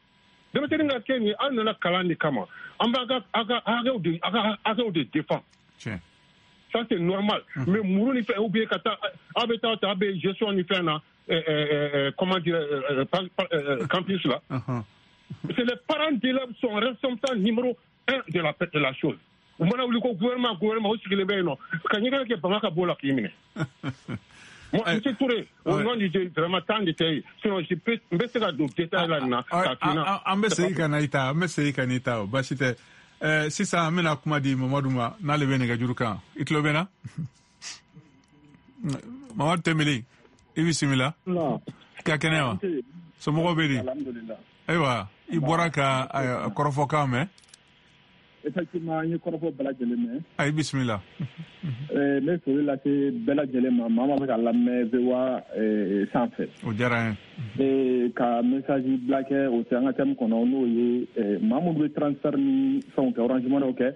Denmisɛnnin ka kɛ nin ye, aw nana kalan de kama, an b'a ka aw ka hakɛw de défend. Ça c'est normal. Mais muru ni fɛn ou bien ka taa aw bɛ taa ta aw bɛ gestion ni fɛn na, comment dire, campus là. C'est les parents d'élèves sont responsables numéro 1 de la chose. U mana wuli ko gouvernement o sigilen bɛ yen nɔ ka ɲɛgɛn kɛ banga ka b'o la k'i minɛ. Moi, M. Touré, au nom du Dieu, vraiment, tant de temps, sinon, je peux, n bɛ se ka don détail la nin na, k'a f'i ɲɛna. An bɛ segin ka na i ta, an bɛ segin ka n'i ta, o baasi tɛ. Sisan an bɛna kuma di Mamadu ma, n'ale bɛ nɛgɛjuru kan. I tulo bɛ n na? Mamadu Tɛnbele, i bisimila. I ka kɛnɛ wa? Somɔgɔw bɛ di? Ayiwa, i bɔra ka kɔrɔfɔkan mɛn. Effectivement, an ye kɔrɔfɔ bɛɛ lajɛlen mɛn. Ayi, bisimila. N bɛ foli lase bɛɛ lajɛlen ma, maa maa bɛ ka lamɛn VOA sanfɛ. O diyara n ye. Ka message bila kɛ o tɛ an ka thème kɔnɔ, n'o ye maa minnu bɛ transfert ni fɛnw kɛ, Orange Money kɛ,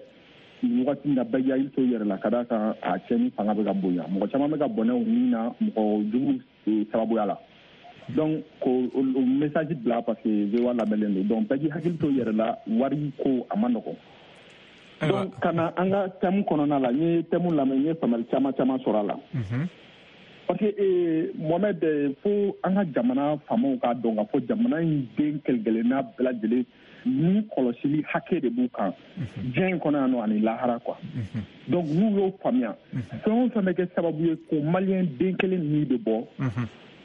nin wagati in na bɛɛ k'i hakili to i yɛrɛ la, ka d'a kan a tiɲɛni fanga bɛ ka bonya. Mɔgɔ caman bɛ ka bɔnɛ u ni na mɔgɔ jugu sababuya la. Donc k'o message bila parce que VOA lamɛnlen don. Donc bɛɛ k'i hakili to i yɛrɛ la, wari ko a ma nɔgɔn. Donc ka na an ka thème kɔnɔna la, n ye thème lamɛn, n ye faamuyali caman caman sɔrɔ a la. Parce que Mohamed, fo an ka jamana faamaw k'a dɔn k'a fɔ jamana in den kelen-kelenna bɛɛ lajɛlen ni kɔlɔsili hakɛ de b'u kan diɲɛ in kɔnɔ yan nɔ ani lahara quoi. Donc n'u y'o faamuya, fɛn o fɛn bɛ kɛ sababu ye ko maliyɛn den kelen ni bɛ bɔ,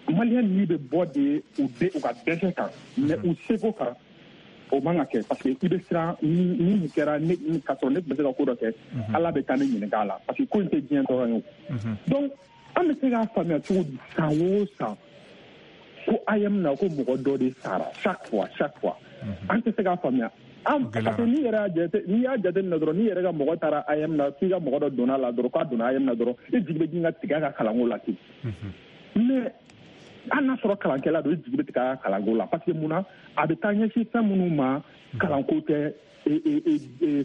maliyɛn ni bɛ bɔ de u ka dɛsɛ kan, mais u seko kan. O man ka kɛ parce que i bɛ siran ni nin kɛra ne ka sɔrɔ ne tun bɛ se ka ko dɔ kɛ, Ala bɛ taa ne ɲininka a la parce que ko in tɛ diɲɛ dɔrɔn ye o. Donc an bɛ se k'a faamuya cogo di san o san ko AEEM na ko mɔgɔ dɔ de sara chaque fois an tɛ se k'a faamuya. Parce que n'i y'a jateminɛ dɔrɔn, n'i yɛrɛ ka mɔgɔ taara AEEM na, k'i ka mɔgɔ dɔ donna la dɔrɔn, k'a donna AEEM na dɔrɔn, i jigi bɛ jigin ka tigɛ a ka kalanko la ten. Mais Hali n'a sɔrɔ kalankɛla don, i jigi bɛ tigɛ a ka kalanko la, parce que mun na, a bɛ taa ɲɛsin fɛn minnu ma, kalanko tɛ.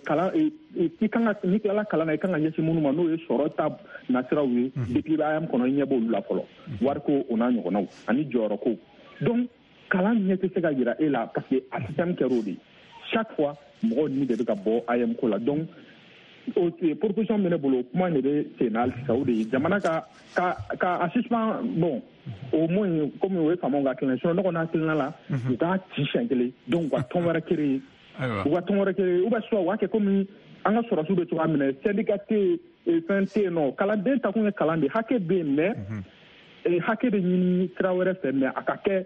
Kalan i kan ka, n'i tilala kalan na, i kan ka ɲɛsin minnu ma, n'o ye sɔrɔ ta nasiraw ye. Depuis i bɛ AEEM kɔnɔ, i ɲɛ b'olu la fɔlɔ, wariko o n'a ɲɔgɔnnaw ani jɔyɔrɔko. Donc kalan ɲɛ tɛ se ka yira e la, parce que a système kɛra o de ye. Chaque fois mɔgɔw ni de bɛ ka bɔ AEEM ko la. Donc o proposition bɛ ne bolo, kuma de bɛ sen na halisa, o de ye jamana ka a suspend. Bon, au moins comme o ye faamaw ka hakilina ye, sinon ne kɔni hakilina la, u k'a ci siɲɛ kelen. Donc u ka tɔn wɛrɛ créer, u ka tɔn wɛrɛ créer, ou bien soit u k'a kɛ komi an ka sɔrɔdasiw bɛ cogoya min na, syndicat tɛ yen, fɛn tɛ yen nɔ. Kalanden ta kun ye kalan de, hakɛ bɛ yen, mais hakɛ bɛ ɲini sira wɛrɛ fɛ, mais a ka kɛ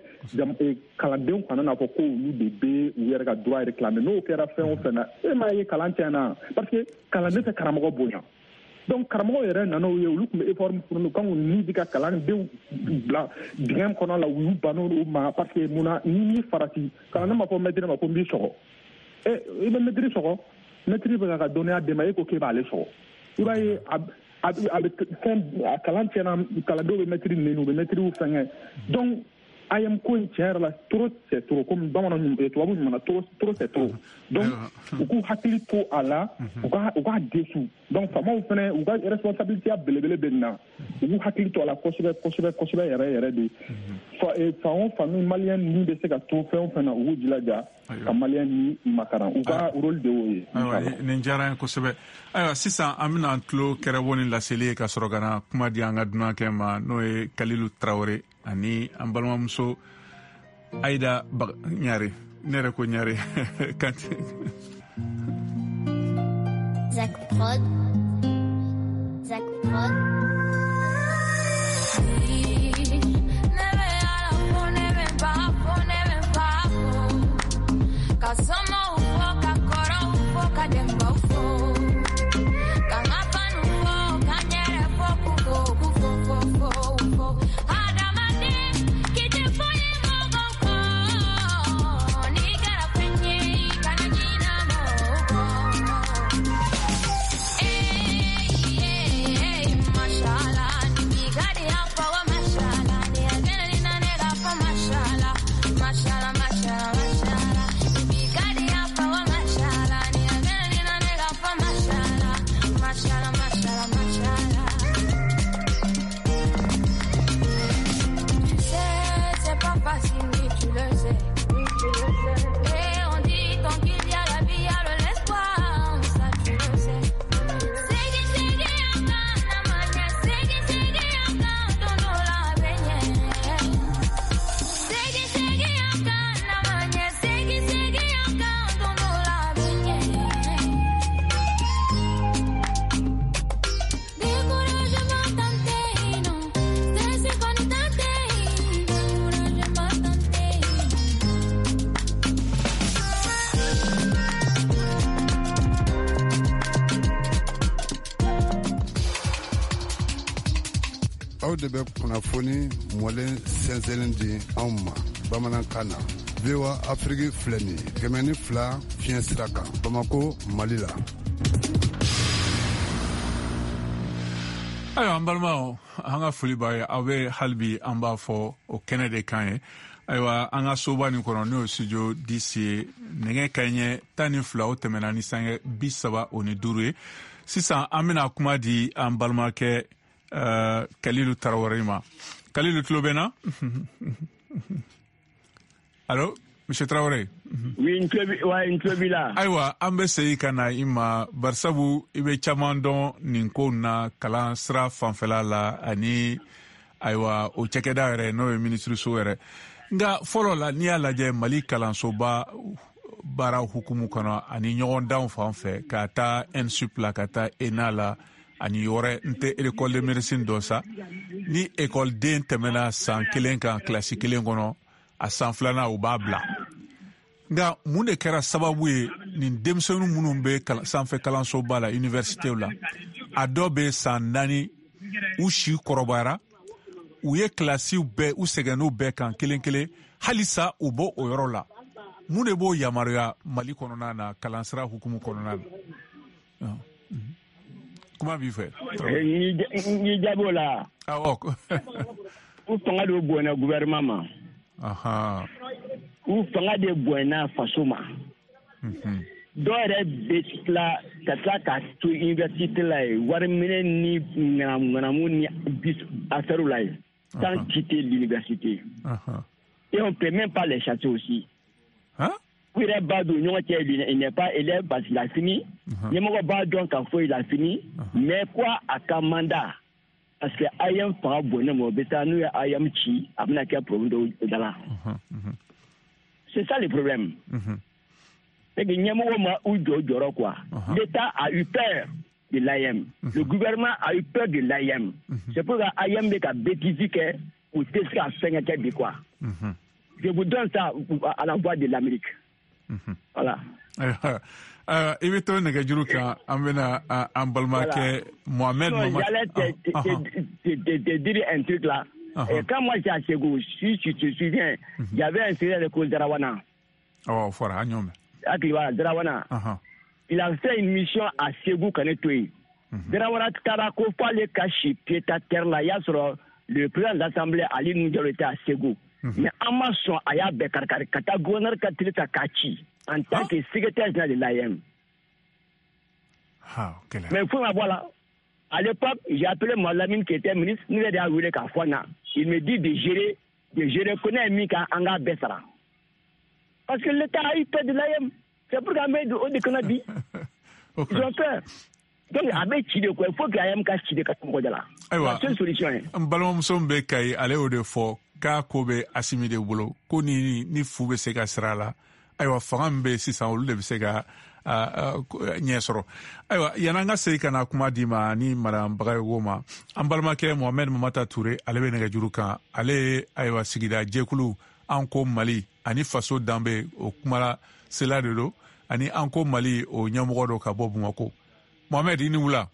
kalandenw kana n'a fɔ ko olu de bɛ u yɛrɛ ka droit réclamer. N'o kɛra fɛn o fɛn na, e m'a ye kalan tiɲɛna, parce que kalanden tɛ karamɔgɔ bonya. Donc karamɔgɔ yɛrɛ nana, o ye olu tun bɛ effort min fourni, kan k'u ni di ka kalandenw bila dingɛ kɔnɔ la, u y'u ban o ma. Parce que mun na, ni m'i farati, kalanden b'a fɔ mɛtiri ma ko n b'i sɔgɔ. I bɛ mɛtiri sɔgɔ, mɛtiri bɛ ka dɔnniya d'e ma, e ko k'e b'ale sɔgɔ. I b'a ye a bɛ fɛn, a kalan tiɲɛna, kalandenw bɛ mɛtiri neni, u bɛ mɛtiriw fɛngɛ. Donc AEEM ko in, tiɲɛ yɛrɛ la, trop c'est trop. Komi bamananw, tubabu ɲuman na, trop trop c'est trop. Donc u k'u hakili to a la, u k'a desu. Donc faamaw fɛnɛ, u ka responsabilité belebele bɛ nin na, u k'u hakili to a la kosɛbɛ kosɛbɛ kosɛbɛ yɛrɛ yɛrɛ de. Fan o fan ni maliyɛn ni bɛ se ka to fɛn o fɛn na, u k'u jilaja ka maliyɛn ni makaran, u ka rôle de y'o ye. Ayiwa, nin diyara n ye kosɛbɛ. Ayiwa, sisan an bɛna an tulo kɛrɛbɔ ni laseli ye ka sɔrɔ ka na kuma di an ka dunankɛ ma, n'o ye Kalilu Tarawele ani an balimamuso Ayida Ɲare. Ne yɛrɛ ko Ɲare Kante. Zach Prod. Zach Prod. Aw de bɛ kunnafoni mɔlen sɛnsɛnlen di anw ma bamanankan na. VOA Afrique filɛ nin ye, 102 fiɲɛ sira kan, Bamako, Mali la. Ayiwa, an balimaw, an ka foli b'a ye aw bɛ hali bi, an b'a fɔ o kɛnɛ de kan ye. Ayiwa, an ka soba nin kɔnɔ, n'o ye studio 10 ye, nɛgɛ kaɲɛ 12, o tɛmɛna ni sange 35 ye. Sisan an bɛna kuma di an balimakɛ Kalilu Tarawele ma. Kalilu, tulo bɛ na? Allo, monsieur Traoré? Oui, n tulo b'i la. Ayiwa, an bɛ segin ka na i ma, barisabu i bɛ caman dɔn nin ko na kalan sira fanfɛla la, ani ayiwa o cakɛda yɛrɛ, n'o ye minisiriso yɛrɛ. Nka fɔlɔ la, n'i y'a lajɛ Mali kalansoba baara hukumu kɔnɔ ani ɲɔgɔndanw fan fɛ, ka taa ENSUP la, ka taa ENA la, ani yɔrɔ n tɛ école de médecine dɔ sa, ni ekɔliden tɛmɛna san kelen kan kilasi kelen kɔnɔ, a san filanan u b'a bila. Nka mun de kɛra sababu ye nin denmisɛnnin minnu bɛ sanfɛ kalansoba la, universitéw la, a dɔw bɛ san 4, u si kɔrɔbayara, u ye kilasiw bɛɛ, u sɛgɛnn'u bɛɛ kan kelen kelen, halisa u b'o o yɔrɔ la? Mun de b'o yamaruya Mali kɔnɔna na, kalansira hukumu kɔnɔna na? Kuma b'i fɛ. N y'i jaabi o la. Awɔ. U fanga de bonyana gouvernement ma. U fanga de bonyana faso ma. Dɔw yɛrɛ bɛ tila ka to université la yen, wari minɛ ni ŋanamu ni affaires la yen, sans quitter l'université. Et on peut même pas les chasser aussi. U yɛrɛ b'a dɔn ɲɔgɔn cɛ, il n'est pas élève parce qu'il a fini. Ɲɛmɔgɔ b'a dɔn k'a fɔ il a fini, mais quoi a ka mandat, parce que AEM fanga bonyana ma, o bɛ taa n'u ye AEM ci, a bɛna kɛ problème dɔw da la. C'est ça le problème. C'est que ɲɛmɔgɔ ma u jɔ jɔrɔ quoi. L'État a eu peur de l'AEM. Le gouvernement a eu peur de l'AEM. C'est pourquoi AEM bɛ ka bêtise kɛ, u tɛ se ka fɛn kɛ bi quoi. Je vous donne ça à la voix de l'Amérique. Voilà. Ayiwa, i bɛ to nɛgɛjuru kan, an bɛna an balimakɛ Mohamed. Mamad. J'allais te dire un truc là. Et quand moi j'étais à Ségou, si tu te souviens, il y avait un secrétaire de cause Darawana. Awɔ, o fɔra, an y'o mɛn. Hakili Darawana. Il a fait une mission à Ségou ka ne to yen. Darawana taara ko f'ale ka si pied à terre la, i y'a sɔrɔ le président de l'Assemblée Ali Noudialo était à Ségou. Mais an ma sɔn, a y'a bɛɛ kari-kari ka taa gouverneur ka télé ta k'a ci en tant que secrétaire général de l'AEM. Mais il faut m'avoir là. À l'époque, j'ai appelé Malamine qui était ministre, nous yɛrɛ y'a wele k'a fɔ n na. Il me dit de gérer ko ne ye min kɛ an k'a bɛɛ sara. Parce que l'État a eu peur de l'AEM. C'est pourquoi an bɛ o de kɔnɔ bi. Ils ont peur. Donc a bɛ ci de quoi, il faut que AEM ka ci de ka mɔgɔ da la. Ayiwa, la seule solution ye. N balimamuso min bɛ Kayi, ale y'o de fɔ k'a ko bɛ Asimi de bolo, ko ni fu bɛ se ka sira a la. Ayiwa, fanga min bɛ sisan, olu de bɛ se ka ɲɛ sɔrɔ. Ayiwa, yan'an ka segin ka na kuma di ma ni madame Bagayogo ma, an balimakɛ Mohamed Mamata Toure, ale bɛ nɛgɛjuru kan. Ale ye ayiwa sigida jɛkulu An Ko Mali ani Faso Danbe o kumala sela de don, ani An Ko Mali o ɲɛmɔgɔ dɔ ka bɔ Bamakɔ. Mohamed, i ni wula.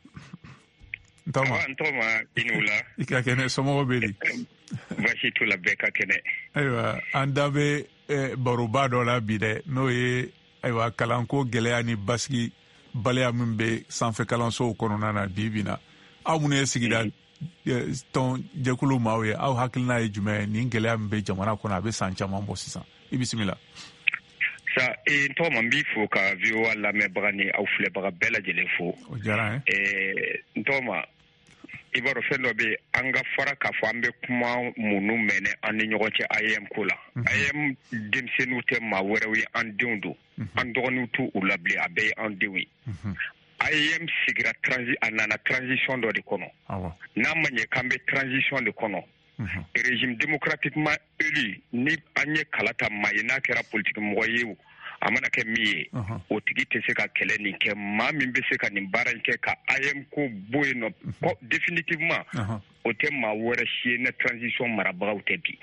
N tɔgɔma, i ni wula. I ka kɛnɛ, somɔgɔw bɛ di? Baasi t'u la, bɛɛ ka kɛnɛ. Ayiwa, an da bɛ baroba dɔ la bi dɛ, n'o ye ayiwa kalanko gɛlɛya ni basigi baliya min bɛ sanfɛ kalansow kɔnɔna na bi bi na. Aw minnu ye sigida tɔn jɛkulu maaw ye, aw hakilina ye jumɛn ye nin gɛlɛya min bɛ jamana kɔnɔ, a bɛ san caman bɔ sisan? I bisimila. Sa n tɔgɔma, n b'i fo ka VOA lamɛnbaga ni aw filɛbaga bɛɛ lajɛlen fo. O diyara an ye. N tɔgɔma, i b'a dɔn fɛn dɔ bɛ an ka fara k'a fɔ an bɛ kuma minnu mɛnɛ an ni ɲɔgɔn cɛ AEM ko la. AEM denmisɛnninw tɛ maa wɛrɛw ye, an denw don. An dɔgɔninw t'u u la bilen, a bɛɛ ye an denw ye. AEM sigira a nana transition dɔ de kɔnɔ. N'a ma ɲɛ k'an bɛ transition de kɔnɔ, régime démocratiquement élu, ni an ye kala ta maa ye, n'a kɛra politique mɔgɔ ye o, a mana kɛ min ye, o tigi tɛ se ka kɛlɛ nin kɛ. Maa min bɛ se ka nin baara in kɛ ka AEM ko bɔ yen nɔ définitivement, o tɛ maa wɛrɛ si ye ne transition marabagaw tɛ bi.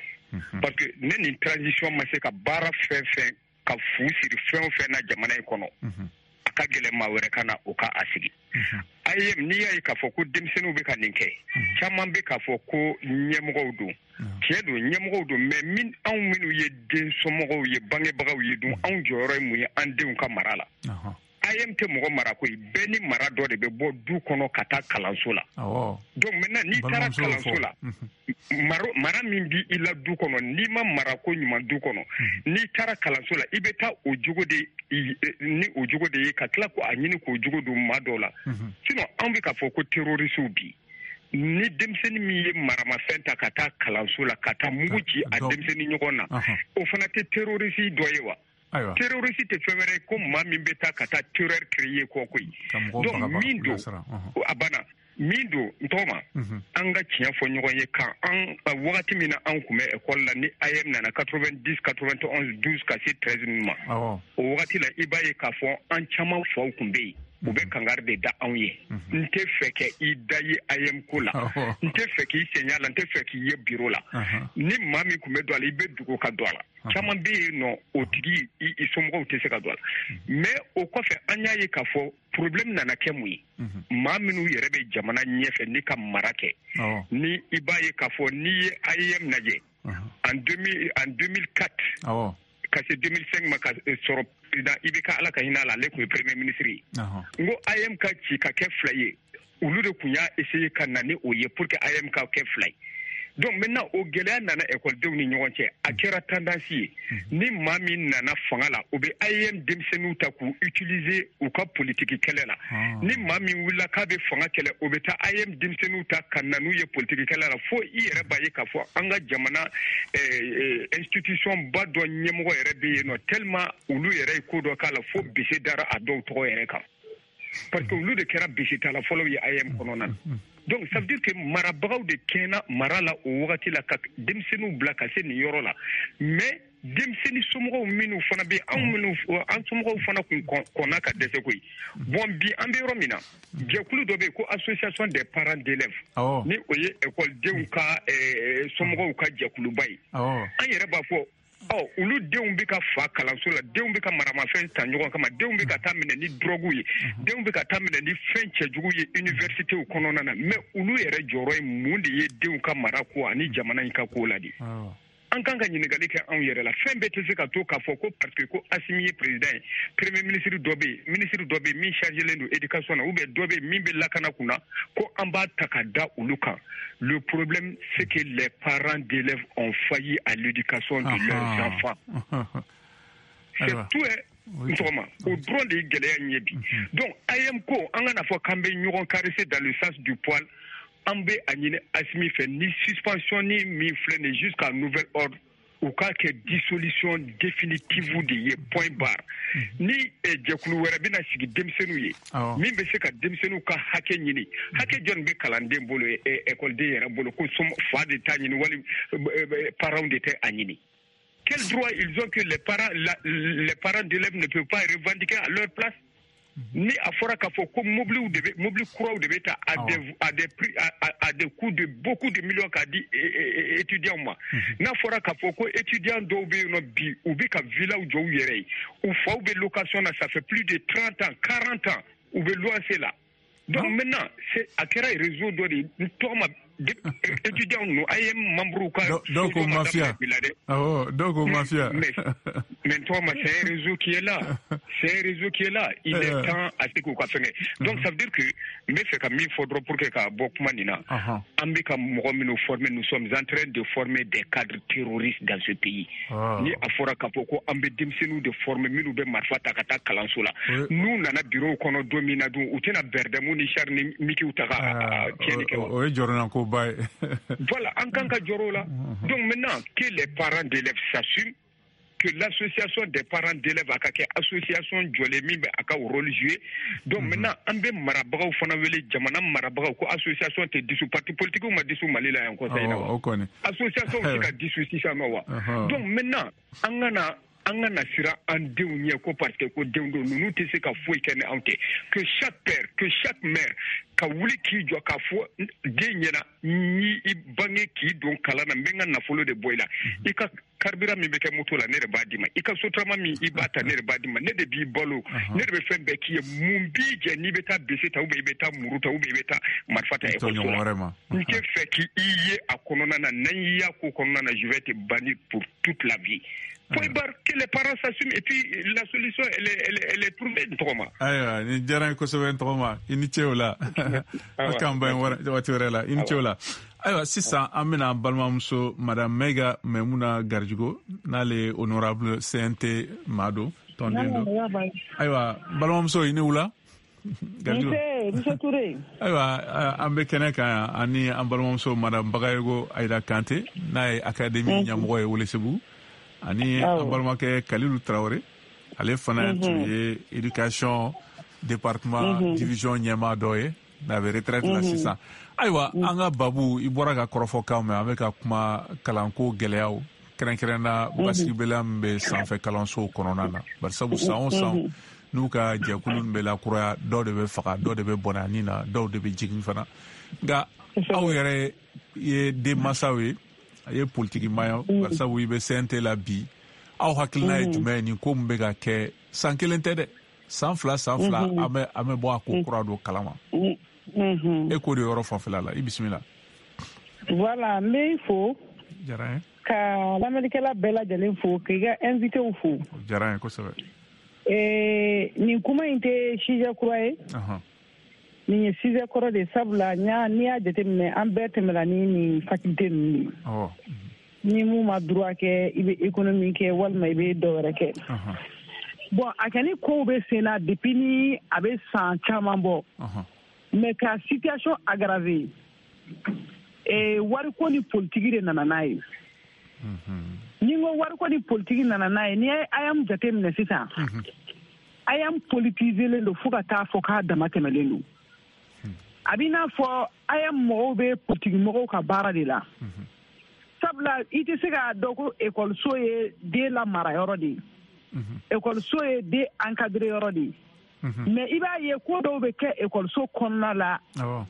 Parce que ne nin transition ma se ka baara fɛn fɛn ka fu siri fɛn o fɛn na jamana in kɔnɔ, a ka gɛlɛn maa wɛrɛ ka na o ka a sigi. AEM, n'i y'a ye k'a fɔ ko denmisɛnninw bɛ ka nin kɛ, caman bɛ k'a fɔ ko ɲɛmɔgɔw don. Tiɲɛ don, ɲɛmɔgɔw don, mais min anw minnu ye den somɔgɔw ye, bangebagaw ye dun, anw jɔyɔrɔ ye mun ye an denw ka mara la? AEM tɛ mɔgɔ mara koyi, bɛɛ ni mara dɔ de bɛ bɔ du kɔnɔ ka taa kalanso la. Donc maintenant n'i taara kalanso la, mara min b'i la du kɔnɔ, n'i ma mara ko ɲuman du kɔnɔ, n'i taara kalanso la, i bɛ taa o jogo de ni o jogo de ye ka tila k'a ɲini k'o jogo don maa dɔw la. Sinon anw bɛ k'a fɔ ko terroriste bi, ni denmisɛnnin min ye maramafɛn ta ka taa kalanso la ka taa mugu ci a denmisɛnnin ɲɔgɔn na, o fana tɛ terroriste dɔ ye wa? Terroriste tɛ fɛn wɛrɛ ye ko maa min bɛ taa ka taa terreur créer kɔ koyi. Donc min don, a banna. Min don, n tɔgɔma, an ka tiɲɛ fɔ ɲɔgɔn ye kan an wagati min na an tun bɛ école la, ni AEM nana 90 91 12 ka se 13 ninnu ma, o wagati la i b'a ye k'a fɔ an caman faw tun bɛ yen, u bɛ kangari de da anw ye. N tɛ fɛ kɛ i da ye AEM ko la, n tɛ fɛ k'i senya la, n tɛ fɛ k'i ye bureau la. Ni maa min tun bɛ don a la, i bɛ dogo ka don a la. Caman bɛ yen nɔ, o tigi i somɔgɔw tɛ se ka don a la. Mais o kɔfɛ an y'a ye k'a fɔ problème nana kɛ mun ye? Maa minnu yɛrɛ bɛ jamana ɲɛfɛ ni ka mara kɛ, ni i b'a ye k'a fɔ n'i ye AEM lajɛ en 2004 ka se 2005 ma, ka sɔrɔ président IBK, Ala ka hinɛ a la, ale tun ye premier ministre ye. N ko AEM ka ci ka kɛ fila ye, olu de tun y'a essayer ka na ni o ye pour que AEM ka kɛ fila ye. Donc maintenant o gɛlɛya nana ekɔlidenw ni ɲɔgɔn cɛ, a kɛra tendance ye. Ni maa min nana fanga la, o bɛ AEEM denmisɛnninw ta k'u utiliser u ka politiki kɛlɛ la. Ni maa min wulila k'a bɛ fanga kɛlɛ, o bɛ taa AEEM denmisɛnninw ta ka na n'u ye politiki kɛlɛ la, fo i yɛrɛ b'a ye k'a fɔ an ka jamana institution ba dɔ ɲɛmɔgɔ yɛrɛ bɛ yen nɔ, tellement olu yɛrɛ ye ko dɔ k'a la, fo bese dara a dɔw tɔgɔ yɛrɛ kan, parce que olu de kɛra besetala fɔlɔw ye AEEM kɔnɔna na. Donc ça veut dire que marabagaw de kɛnna mara la o wagati la ka denmisɛnninw bila ka se nin yɔrɔ la. Mais denmisɛnnin somɔgɔw minnu fana bɛ, anw minnu an somɔgɔw fana kun kɔnna ka dɛsɛ koyi. Bon, bi an bɛ yɔrɔ min na, jɛkulu dɔ bɛ yen ko association des parents d'élèves, ni o ye ekɔlidenw ka somɔgɔw ka jɛkuluba ye. An yɛrɛ b'a fɔ ɔ, olu denw bɛ ka fa kalanso la, denw bɛ ka maramafɛn ta ɲɔgɔn kama, denw bɛ ka taa minɛ ni drogue ye, denw bɛ ka taa minɛ ni fɛn cɛjugu ye universitéw kɔnɔna na. Mais olu yɛrɛ jɔyɔrɔ ye mun de ye denw ka mara ko ani jamana in ka ko la de? An kan ka ɲininkali kɛ anw yɛrɛ la. Fɛn bɛɛ tɛ se ka to k'a fɔ ko parce que ko Assimi ye président ye, premier ministre dɔ bɛ yen, ministre dɔ bɛ yen min chargelen don éducation na, ou bien dɔ bɛ yen min bɛ lakana kunna, ko an b'a ta ka da olu kan. Le problème, c'est que les parents d'élèves ont failli à l'éducation de leurs enfants, c'est tout hein. N tɔgɔma, o dɔrɔn de ye gɛlɛya in ye bi. Donc AEEM ko, an kana fɔ k'an bɛ ɲɔgɔn caresser dans le sens du poil. An bɛ a ɲini Assimi fɛ, ni suspension ni min filɛ nin, jusqu'à nouvel ordre, u k'a kɛ dissolution définitive de ye, point barre. Ni jɛkulu wɛrɛ bɛna sigi denmisɛnninw ye min bɛ se ka denmisɛnninw ka hakɛ ɲini, hakɛ jɔnni bɛ kalanden bolo, ekɔliden yɛrɛ bolo, ko fa de t'a ɲini wali parents de tɛ a ɲini? Quel droit ils ont que les parents d'élèves ne peuvent pas revendiquer à leur place? Ni a fɔra k'a fɔ ko mobiliw de bɛ, mobili kuraw de bɛ ta à des prix, à des coûts de beaucoup de millions k'a di étudiants ma, n'a fɔra k'a fɔ ko étudiants dɔw bɛ yen nɔ bi, u bɛ ka villaw jɔ u yɛrɛ ye, u faw bɛ location na, ça fait plus de 30 ans, 40 ans, u bɛ luwanse la. Donc maintenant, c'est a kɛra réseau dɔ de ye, n tɔgɔ ma, étudiants ninnu, AEEM membres ka. Dɔw ko mafia. Awɔ, dɔw ko mafia. Mais tɔgɔ ma, c'est un réseau qui est là, c'est un réseau qui est là. Il est temps à ce k'u ka fɛngɛ. Donc ça veut dire que n bɛ fɛ ka min fɔ dɔrɔn pour que ka bɔ kuma nin na, an bɛ ka mɔgɔ minnu former, nous sommes en train de former des cadres terroristes dans ce pays. Ni a fɔra k'a fɔ ko an bɛ denmisɛnninw de former minnu bɛ marifa ta ka taa kalanso la, n'u nana bureau kɔnɔ don min na dun, u tɛna BRDM ni char ni MiGw ta ka tiɲɛni kɛ wa? O ye jɔrɔnako ba ye. Voilà, an kan ka jɔrɔ o la. Donc maintenant, que les parents d'élèves s'assument, que l'association des parents d'élèves a ka kɛ association jɔlen min bɛ a ka rôle jouer. Donc maintenant, an bɛ marabagaw fana wele, jamana marabagaw, ko association tɛ dissous. Parti politique ma dissous Mali la yan kɔsa in na wa? Association bɛ se ka dissous sisan nɔ wa? Donc maintenant, an ka na siran an denw ɲɛ ko parce que ko denw don, ninnu tɛ se ka foyi kɛ ni anw tɛ. Que chaque père, que chaque mère ka wuli k'i jɔ k'a fɔ den ɲɛna: ni i bange k'i don kalan na, n bɛ n ka nafolo de bɔ i la, i ka carburant min bɛ kɛ moto la, ne de b'a d'i ma, i ka sotrama min i b'a ta, ne de b'a d'i ma, ne de b'i balo, ne de bɛ fɛn bɛɛ k'i ye. Mun b'i jɛ n'i bɛ taa bese ta, ou bien i bɛ taa muru ta, ou bien i bɛ taa marifa ta ekɔliso la? N tɛ fɛ k'i ye a kɔnɔna na. N'an y'i y'a ko kɔnɔna na, je vais te bannir pour toute la vie, point barre. Que les parents s'assument et puis la solution, elle est trouvée, n tɔgɔma. Ayiwa, nin diyara n ye kosɛbɛ, n tɔgɔma, i ni ce o la. A k'an bɛn waati wɛrɛ la, i ni ce o la. Ayiwa, sisan an bɛna an balimamuso madame Maiga Maimouna Garijiko, n'ale ye honorable CNT maa don, tɔnden don. Ayiwa, balimamuso, i ni wula. Nse, Touré. Ayiwa, an bɛ kɛnɛ kan yan ani an balimamuso madame Bagayogo Ayida Kante, n'a ye académie ɲɛmɔgɔ ye Welesebugu, ani an balimakɛ Kalilu Tarawele, ale fana tun ye éducation département division ɲɛmaa dɔ ye, n'a bɛ retraite la sisan. Ayiwa, an ka babu, i bɔra ka kɔrɔfɔkan mɛn, an bɛ ka kuma kalanko gɛlɛyaw, kɛrɛnkɛrɛnna basigibaliya min bɛ sanfɛ kalansow kɔnɔna na, barisabu san o san n'u ka jɛkulu bɛ lakuraya, dɔw de bɛ faga, dɔw de bɛ bɔnɛ ani na, dɔw de bɛ jigin fana. Nka aw yɛrɛ ye denmansaw ye, a ye politiki maa ye, barisabu i bɛ CNT la bi. Aw hakilina ye jumɛn ye nin ko min bɛ ka kɛ? San kelen tɛ dɛ, san 2, san 2, an bɛ bɔ a ko kura don kalama. E k'o de yɔrɔ fanfɛla la, i bisimila. Voilà, n bɛ i fo. Diyara n ye. Ka lamɛnnikɛla bɛɛ lajɛlen fo, k'i ka invité fo. Diyara n ye kosɛbɛ. Nin kuma in tɛ sujet kura ye. Nin ye sujet kɔrɔ de, sabula n'i y'a jateminɛ, an bɛɛ tɛmɛla ni nin faculté ninnu de ye. Ni mun ma droit kɛ, i bɛ économie kɛ walima i bɛ dɔ wɛrɛ kɛ. Bon, a kɛni kow bɛ sen na depuis ni a bɛ san caman bɔ. Mais ka situation aggraver, wariko ni politiki de nana n'a ye. Ni n ko wariko ni politiki nana n'a ye, n'i ye AEM jateminɛ sisan, AEM politiselen don fo ka taa fɔ k'a dama tɛmɛlen don. A b'i n'a fɔ AEM mɔgɔw bɛ politiki mɔgɔw ka baara de la. Sabula i tɛ se k'a dɔn ko ekɔliso ye den lamara yɔrɔ de ye, ekɔliso ye den encadré yɔrɔ de ye. Mais i b'a ye ko dɔw bɛ kɛ ekɔliso kɔnɔna la,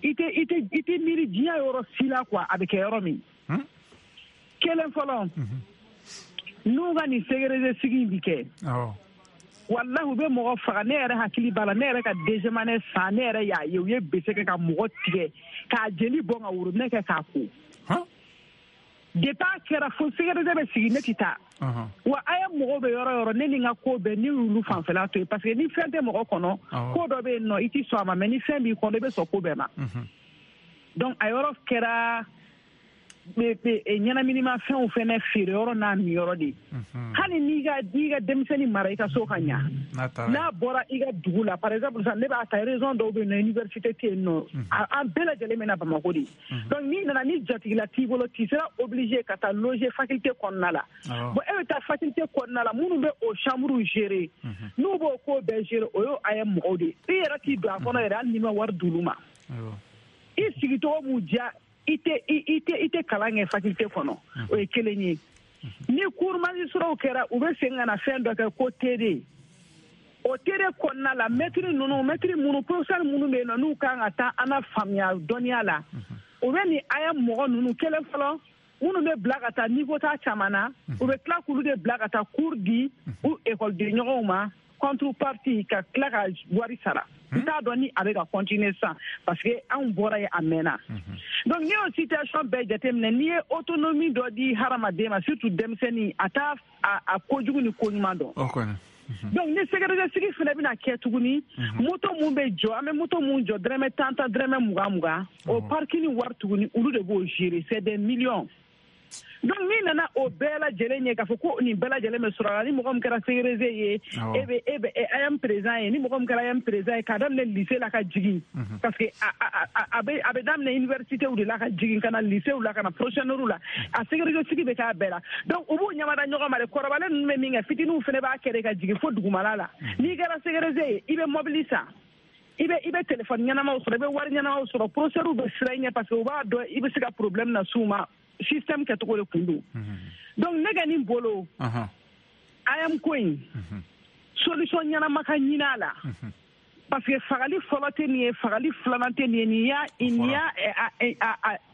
i tɛ miiri diɲɛ yɔrɔ si la quoi, a bɛ kɛ yɔrɔ min. Kelen fɔlɔ, n'u ka nin sécurité sigi in bi kɛ, walahi u bɛ mɔgɔ faga. Ne yɛrɛ hakili b'a la, ne yɛrɛ ka deuxième année san, ne yɛrɛ y'a ye u ye bese kɛ ka mɔgɔ tigɛ k'a jeli bɔn ka worobinɛ kɛ k'a ko. Depuis a kɛra fo sécurité bɛ sigi, ne tɛ taa. Wa a ye mɔgɔw bɛ yɔrɔ yɔrɔ, ne ni n ka ko bɛɛ, ne y'olu fanfɛla to yen, parce que ni fɛn tɛ mɔgɔ kɔnɔ, ko dɔ bɛ yen nɔ, i tɛ sɔn a ma, mais ni fɛn b'i kɔnɔ, i bɛ sɔn ko bɛɛ ma. Donc a yɔrɔ kɛra ɲɛnaminimafɛnw fɛnɛ feere yɔrɔ n'a min yɔrɔ de ye. Hali n'i ka denmisɛnnin mara i ka so ka ɲa, n'a bɔra i ka dugu la, par exemple sisan ne b'a ta raison dɔw bɛ yen nɔ, université tɛ yen nɔ, an bɛɛ lajɛlen bɛ na Bamakɔ de. Donc n'i nana ni jatigila t'i bolo, tu seras obligé ka taa loger faculté kɔnɔna la. Bon, e bɛ taa faculté kɔnɔna la, minnu bɛ o chambre gérer, n'u b'o ko bɛɛ gérer, o y'o AEM mɔgɔw de ye. I yɛrɛ t'i don a kɔnɔ yɛrɛ hali n'i ma wari d'olu ma. I sigicogo m'u diya, i tɛ kalan kɛ faculté kɔnɔ. O ye kelen ye. Ni cours magistraux kɛra, u bɛ segin ka na fɛn dɔ kɛ ko TD. O TD kɔnɔna la, maître ninnu, maître minnu, professeur minnu bɛ yen nɔ, n'u kan ka taa an na faamuya dɔnniya la, u bɛ nin AEM mɔgɔ ninnu kelen fɔlɔ minnu bɛ bila ka taa niveau ta caman na, u bɛ tila k'olu de bila ka taa cours di u ekɔliden ɲɔgɔnw ma, contrepartie ka tila ka wari sara. N t'a dɔn ni a bɛ ka continuer sisan, parce que anw bɔra yen a mɛnna. Donc n'i y'o situation bɛɛ jateminɛ, n'i ye autonomie dɔ di hadamaden ma, surtout denmisɛnnin, a t'a a kojugu ni koɲuman dɔn. Donc ni sécurité sigi fana bɛna kɛ tuguni, moto mun bɛ jɔ, an bɛ moto mun jɔ dɔrɔmɛ 10 10, dɔrɔmɛ 20 20, o parking wari tuguni, olu de b'o gérer, c'est des millions. Donc n'i nana o bɛɛ lajɛlen ye k'a fɔ ko nin bɛɛ lajɛlen bɛ sɔrɔ a la, ni mɔgɔ min kɛra sécurisé ye, e bɛ e bɛ AEM président ye, ni mɔgɔ min kɛra AEM président ye k'a daminɛ lycée la ka jigin, parce que a bɛ daminɛ université de la ka jigin ka na lycée la ka na professionnel la, a sécurité sigi bɛ k'a bɛɛ la. Donc u b'u ɲamada ɲɔgɔn ma de, kɔrɔbalen ninnu bɛ min kɛ, fitininw fana b'a kɛ de ka jigin fo dugumala la. N'i kɛra sécurisé ye, i bɛ mobili san, i bɛ téléphone ɲɛnamaw sɔrɔ, i bɛ wari ɲɛnamaw sɔrɔ, professeur bɛ siran i ɲɛ parce que u b'a dɔn i bɛ se ka problème las'u ma. Système kɛcogo de kun don. Donc ne kɛ nin bolo, AEM ko in solution ɲɛnama ka ɲini a la, parce que fagali fɔlɔ tɛ nin ye, fagali filanan tɛ nin ye. Nin y'a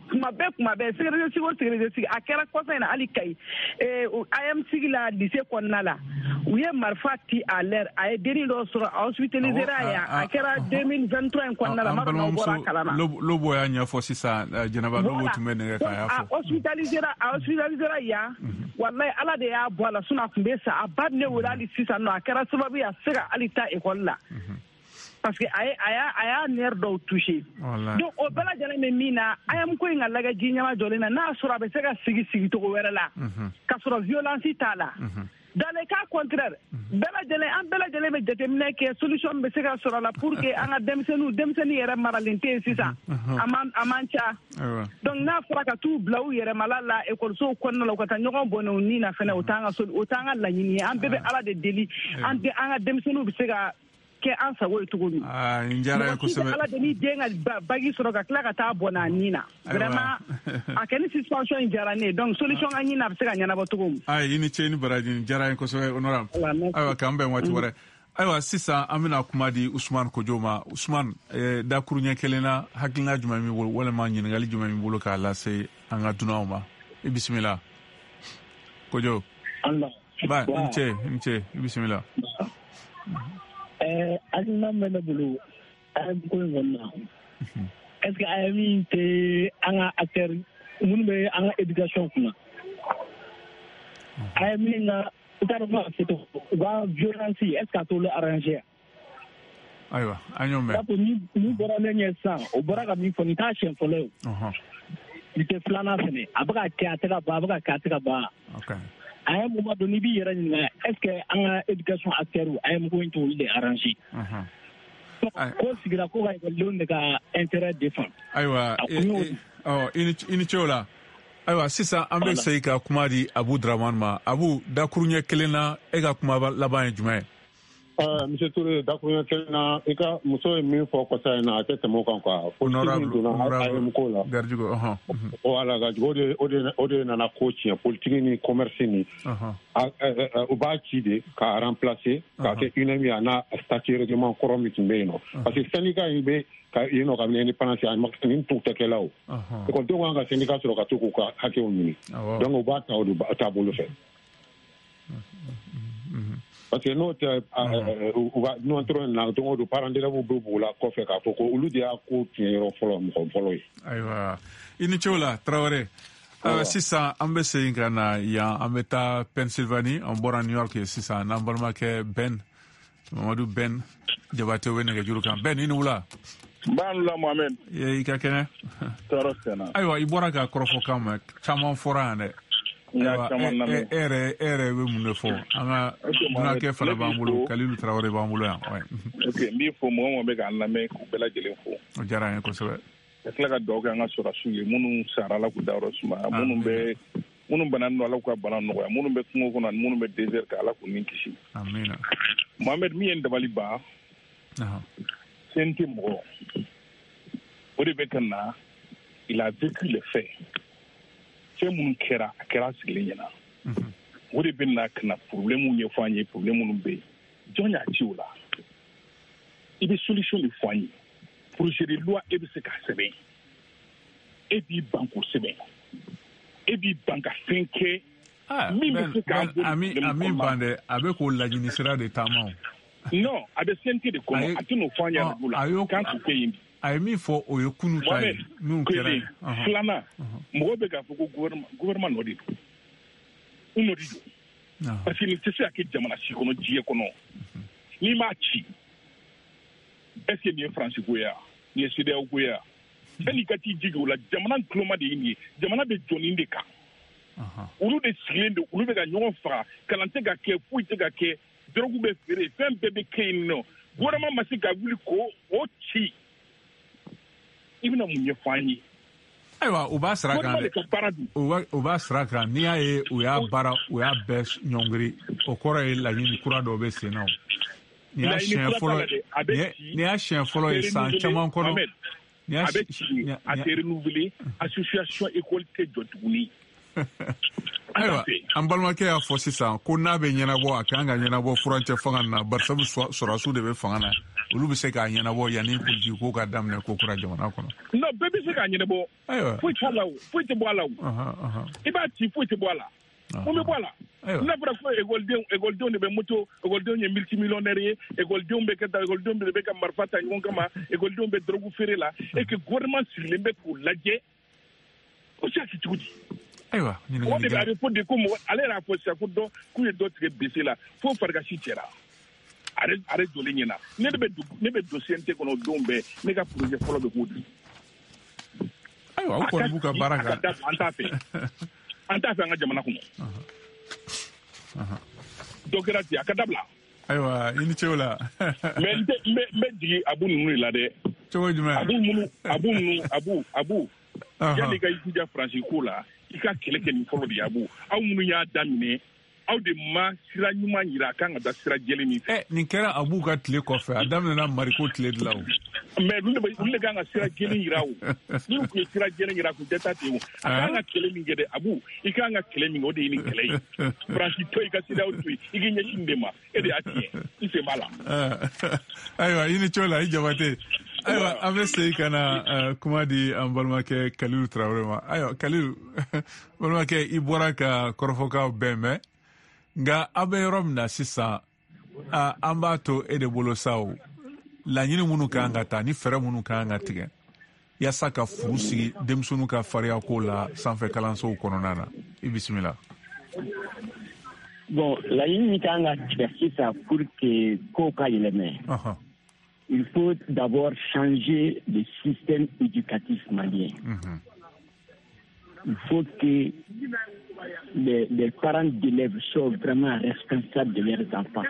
kuma bɛɛ sécurité sigi o sécurité sigi, a kɛra kɔsa in na hali Kayi AEM sigi la lycée kɔnɔna la, u ye marifa ti à l'air, a ye dennin dɔ sɔrɔ, a hospitalisé yan, a kɛra 2023 in kɔnɔna la, ma dɔn n'aw bɔra a kalama. Lobo y'a ɲɛfɔ sisan, Jɛnɛba Lobo tun bɛ nɛgɛ kan, a y'a fɔ. A hospitalisé yan, walahi Ala de y'a bɔ a la, sinon a tun bɛ sa. A ba bɛ ne wele hali sisan nɔ, a kɛra sababu ye a tɛ se ka hali taa école la. Parce que a y'a nerf dɔw touché. Donc o bɛɛ lajɛlen bɛ min na, AEM ko in ka lajɛ ji ɲɛma jɔlen na, n'a sɔrɔ a bɛ se ka sigi sigicogo wɛrɛ la, k'a sɔrɔ violence t'a la. Dans le cas contraire, bɛɛ lajɛlen, an bɛɛ lajɛlen bɛ jateminɛ kɛ solution bɛ se ka sɔrɔ a la pour que an ka denmisɛnnin yɛrɛ maralen tɛ yen sisan, a man ca. Donc n'a fɔra ka t'u bila u yɛrɛmala la ekɔlisow kɔnɔna la, u ka taa ɲɔgɔn bɔnɛ u ni na fɛnɛ, o t'an ka laɲini ye. An bɛɛ bɛ Ala de deli, an ka denmisɛnninw bɛ se ka kɛ an sago ye cogo min. Nin diyara ye kosɛbɛ. Ala de ni den ka bagi sɔrɔ ka tila ka taa bɔnɛ a ni na. Vraiment a kɛ ni suspension in diyara ne ye. Donc solution ka ɲini, a bɛ se ka ɲɛnabɔ cogo min. Ayi, i ni ce, ni baraji, nin diyara ye kosɛbɛ, honorable. Ayiwa, k'an bɛn waati wɛrɛ. Ayiwa, sisan an bɛna kuma di Usumani Kojo ma. Usumani, dakuruɲɛ kelen na, hakilina jumɛn b'i bolo walima ɲininkali jumɛn b'i bolo k'a lase an ka dunanw ma? I bisimila Kojo. Ba, i ni ce, i bisimila. Hakilina min bɛ ne bolo AEM ko in kɔni na, est ce que AEM in tɛ an ka acteur minnu bɛ an ka éducation kunna, AEM in ka, i t'a dɔn kuma se u ka violence, est ce que a t'olu arranger? Ayiwa, an y'o mɛn. Min bɔra ne ɲɛ sisan, o bɔra ka min fɔ, nin t'a siɲɛ fɔlɔ ye. Nin tɛ filanan fɛnɛ. A bɛ ka kɛ, a tɛ ka ban, a bɛ ka kɛ, a tɛ ka ban. À un moment donné, i b'i yɛrɛ ɲininka, est-ce que an ka éducation acteur AEEM ko in t'olu de arranger? Ko sigira ko ka ekɔlidenw de ka intérêt défend. Ayiwa, i ni ce o la. Ayiwa, sisan an bɛ segin ka kuma di Abu Dramane ma. Abu, dakuruɲɛ kelen na, e ka kuma laban ye jumɛn ye? Monsieur Touré, dakuruɲɛ kelen na, i ka muso ye min fɔ kɔsa in na, a tɛ tɛmɛ o kan quoi. Politique min donna AEEM ko la. Garijugo, ɔhɔn. Voilà, Garijugo, o de nana ko tiɲɛ, politique ni commerce ni. U b'a ci de k'a remplacer, k'a kɛ UNEM ye, a n'a statut règlement kɔrɔ min tun bɛ yen nɔ. Parce que syndicat in bɛ ka yen nɔ kabini indépendance, nin tun tɛ kɛla o. Ekɔlidenw kan ka syndicat sɔrɔ ka to k'u ka hakɛw ɲini. Donc u b'a ta o de taabolo fɛ. Parce que n'o tɛ, u ka n'o tora nin na don o don, parents d'élèves bɛ b'u la kɔfɛ k'a fɔ ko olu de y'a ko tiɲɛ yɔrɔ fɔlɔ, mɔgɔ fɔlɔ ye. Ayiwa, i ni ce o la, Tarawele. Sisan an bɛ segin ka na yan, an bɛ taa Pennsylvanie, an bɔra New York ye sisan, n'an balimakɛ Ben, Mamadu Ben Jabate bɛ nɛgɛjuru kan. Ben, i ni wula. B'an wula, Mohamed. I ka kɛnɛ? Tɔɔrɔ tɛ. Ayiwa, i bɔra ka kɔrɔfɔkan mɛn, caman fɔra yan dɛ. E yɛrɛ bɛ mun de fɔ? An ka dunankɛ fana b'an bolo, Kalilu Tarawele b'an bolo yan. Ok, n b'i fo, mɔgɔ mɔgɔ bɛ k'an lamɛn, k'u bɛɛ lajɛlen fo. O diyara an ye kosɛbɛ. Ka tila ka dugawu kɛ an ka sɔrɔdasiw ye, minnu sara, Ala k'u dayɔrɔ sumaya, minnu bananen don, Ala k'u ka bana nɔgɔya, minnu bɛ kungo kɔnɔ ani minnu bɛ désert kan, Ala k'u ni kisi. Amiina. Mohamed, min ye n dabali ban, CNT mɔgɔ, o de bɛ ka na, il a vécu les faits. Fɛn minnu kɛra, a kɛra a sigilen ɲɛna. O de bɛ na ka na problème ɲɛfɔ an ye, problème minnu bɛ yen. Jɔn y'a ci o la? I bɛ solution de fɔ an ye. Projet de loi, e bɛ se k'a sɛbɛn. E b'i ban k'o sɛbɛn. E b'i ban ka fɛn kɛ. Min bɛ se k'an bɔ. A min ban dɛ, a bɛ k'o laɲini sira de taama o. Non, a bɛ CNT de kɔnɔ, a tɛ n'o fɔ an ɲɛna la. K'an k'o kɛ yen bi. A ye min fɔ, o ye kunu ta ye. Minnu kɛra. Filanan, mɔgɔw bɛ k'a fɔ ko gouvernement nɔ de don. U nɔ de don. Parce que nin tɛ se ka kɛ jamana si kɔnɔ diɲɛ kɔnɔ. N'i m'a ci, est-ce que nin ye Faransi ko ye wa? Nin ye CEDEAO ko ye wa? Yanni ka t'i jigi o la, jamana tuloma de ye nin ye. Jamana bɛ jɔ nin de kan. Olu de sigilen don, olu bɛ ka ɲɔgɔn faga, kalan tɛ ka kɛ, foyi tɛ ka kɛ, drogue bɛ feere, fɛn bɛɛ bɛ kɛ yen nɔ. Gouvernement ma se ka wuli k'o ci. I bɛna mun ɲɛfɔ an ye? Ayiwa, u b'a sara kan dɛ. U b'a sara kan. N'i y'a ye u y'a baara, u y'a bɛɛ ɲɔngiri, o kɔrɔ ye laɲini kura dɔ bɛ sen na o. Nin y'a siɲɛ fɔlɔ ye san caman kɔnɔ. A bɛ ci, a tɛ renouveler, association école tɛ jɔ tuguni. Ayiwa, an balimakɛ y'a fɔ sisan ko n'a bɛ ɲɛnabɔ, a kan ka ɲɛnabɔ furancɛ fanga na, barisabu sɔrɔdasiw de bɛ fanga na, olu bɛ se k'a ɲɛnabɔ yanni politiki ko ka daminɛ ko kura jamana kɔnɔ. Non, bɛɛ bɛ se k'a ɲɛnabɔ. Foyi t'a la o, foyi tɛ bɔ a la o. I b'a ci, foyi tɛ bɔ a la. Mun bɛ bɔ a la? N'a fɔra ko ekɔlidenw de bɛ moto, ekɔlidenw ye multimillionnaire ye, ekɔlidenw bɛ kɛ tan, ekɔlidenw de bɛ ka marifa ta ɲɔgɔn kama, ekɔlidenw bɛ drogue feere la, et que gouvernement sigilen bɛ k'u lajɛ, o bɛ se ka kɛ cogo di? Ayiwa, o de bɛ a bɛ fɔ de ko mɔgɔ, ale yɛrɛ y'a fɔ sisan ko dɔ k'u ye dɔ tigɛ bese la fo farikasi cɛra. A yɛrɛ jɔlen ɲɛna. Ne bɛ don CNT kɔnɔ o don bɛɛ, ne ka projet fɔlɔ bɛ k'o di. Ayiwa, u kɔni b'u ka baara kan. An t'a fɛ. An t'a fɛ an ka jamana kɔnɔ. Dɔ kɛra ten, a ka dabila. Ayiwa, i ni ce o la. Mais n bɛ jigin Abu ninnu de la dɛ. Cogo jumɛn? Abu ninnu, Abu. Yanni i ka i jija Faransi ko la, i ka kɛlɛ kɛ nin fɔlɔ de ye Abu. Aw minnu y'a daminɛ, aw de ma sira ɲuman yira, a kan ka taa sira jɛlen min fɛ. Nin kɛra Abu ka tile kɔfɛ, a daminɛna Mariko tile de la o. Mais olu de kan ka sira jɛlen yira o. N'u tun ye sira jɛlen yira, a tun tɛ taa ten o. A kan ka kɛlɛ min kɛ dɛ, Abu, i kan ka kɛlɛ min kɛ, o de ye nin kɛlɛ ye. Faransi to yen, i ka CEDEAO to yen, i k'i ɲɛsin nin de ma, e de y'a tiɲɛ, i sen b'a la. Ayiwa, i ni ce o la, i Jabate. Ayiwa, an bɛ segin ka na kuma di an balimakɛ Kalilu Tarawele ma. Ayiwa, Kalilu, balimakɛ, i bɔra ka kɔrɔfɔkaw bɛɛ mɛn, nka an bɛ yɔrɔ min na sisan, an b'a to e de bolo sa o. Laɲini minnu kan ka ta ni fɛɛrɛ minnu kan ka tigɛ yaasa ka furu sigi denmisɛnninw ka fariya ko la sanfɛ kalansow kɔnɔna na, i bisimila. Bon, laɲini min kan ka tigɛ sisan pour que kow ka yɛlɛmɛ, Il faut d'abord changer le système éducatif malien. Il faut que les parents d'élèves soient vraiment responsables de leurs enfants.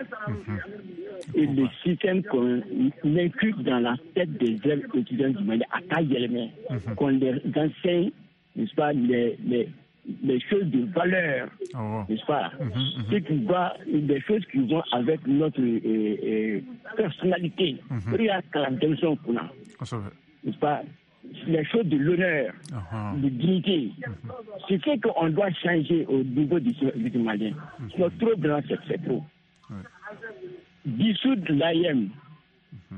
Et le système qu'on inculque dans la tête des élèves étudiants du Mali, à Kayelme, qu'on les enseigne, n'est-ce pas, les choses de valeur, n'est-ce pas, ce qui va, des choses qui vont avec notre personnalité. N'est-ce pas, les choses de l'honneur, de dignité. C'est ce qu'on doit changer au niveau du Malien. Sinon, trop grand, c'est trop. Dissoudre l'AIM,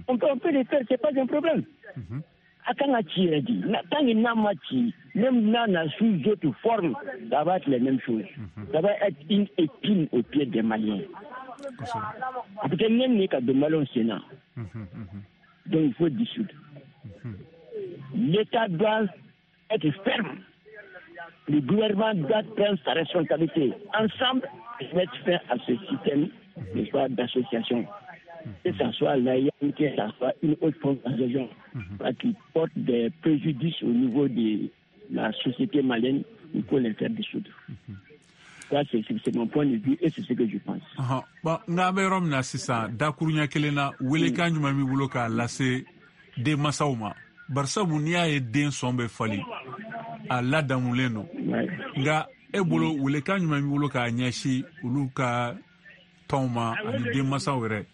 on peut le faire, ce n'est pas un problème. Tant qu'il n'a pas même sous d'autres formes, ça va être les mêmes choses. Ça va être une épine au pied des Maliens. Peut-être même les cas de Mali au Sénat. Donc il faut dissoudre. L'État doit être ferme. Le gouvernement doit prendre sa responsabilité. Ensemble, mettre fin à ce système d'association. Que ce soit l'AIM, que ce soit une autre forme d'association qui porte des préjudices au niveau de la société malienne, il faut les faire dissoudre. Ça, c'est mon point de vue et c'est ce que je pense. Bon, nka bɛ yɔrɔ min na sisan, dakuruɲɛ kelen na, welekan jumɛn b'i bolo k'a lase denmansaw ma? Barisabu n'i y'a ye den sɔn bɛ falen, a ladamulen don. Nka e bolo, welekan jumɛn b'i bolo k'a ɲɛsin olu ka tɔnw ma ani denmansaw yɛrɛ?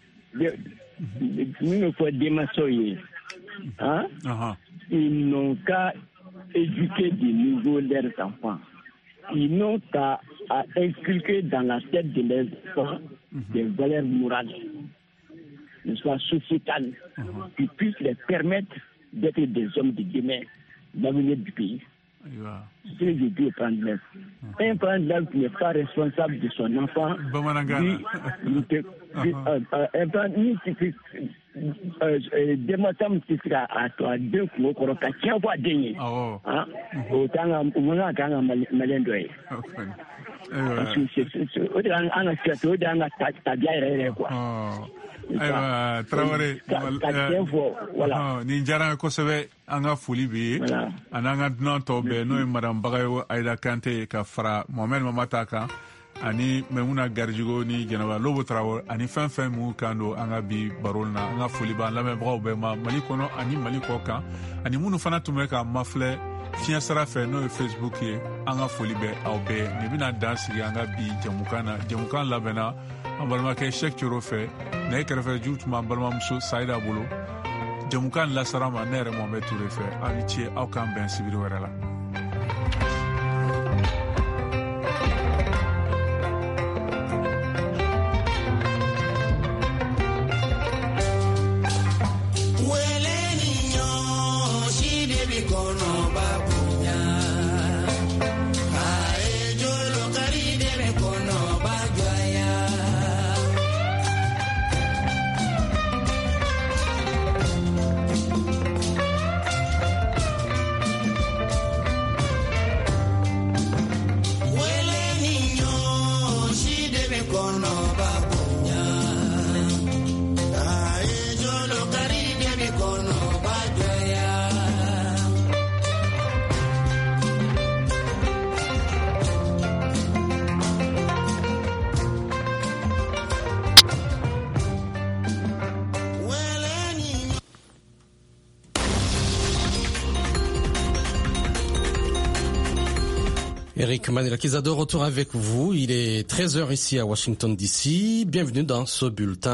Min bɛ fɔ denmansaw ye, hein? Ils n'ont qu'à éduquer de nouveau leurs enfants. Ils n'ont qu'à inculquer dans la tête de leurs enfants des valeurs morales, soit sociétales, qui puissent les permettre d'être des hommes de demain, l'avenir du pays. C'est ce que je dis au parent d'élève. Un parent d'élève qui n'est pas responsable de son enfant, denmansa min tɛ se ka a to a den kungo kɔrɔ ka tiɲɛ fɔ a den ye, o man kan ka k'an ka maliyɛn dɔ ye. Parce que o de y'an ka fierté, o de y'an ka tabiya yɛrɛ yɛrɛ quoi. Ayiwa, Tarawele, nin diyara n ye kosɛbɛ. An ka foli b'i ye ani an ka dunan tɔw bɛɛ, n'o ye madame Bagayogo Ayida Kante ye ka fara Mohamed Mamata kan ani Maimuna Garijigo ni Jɛnɛba Lobo Tarawele ani fɛn fɛn minnu kan don an ka bi baro na. An ka foli b'an lamɛnbagaw bɛɛ ma Mali kɔnɔ ani Mali kɔ kan, ani minnu fana tun bɛ ka mafilɛ fiɲɛ sira fɛ, n'o ye Facebook ye. An ka foli bɛ aw bɛɛ. Nin bɛna dan sigi an ka bi jɛmukan na. Jɛmukan labɛnna an balimakɛ Cheikh Coro fɛ, nɛgɛ kɛrɛfɛ ju tun b'an balimamuso Sayida bolo. Jɛmukan lasara ma ne yɛrɛ Mohamed Toure fɛ. Aw ni ce, aw k'an bɛn sibiri wɛrɛ la. Eric Manelakiza de retour avec vous. Il est 13h ici à Washington DC. Bienvenue dans ce bulletin.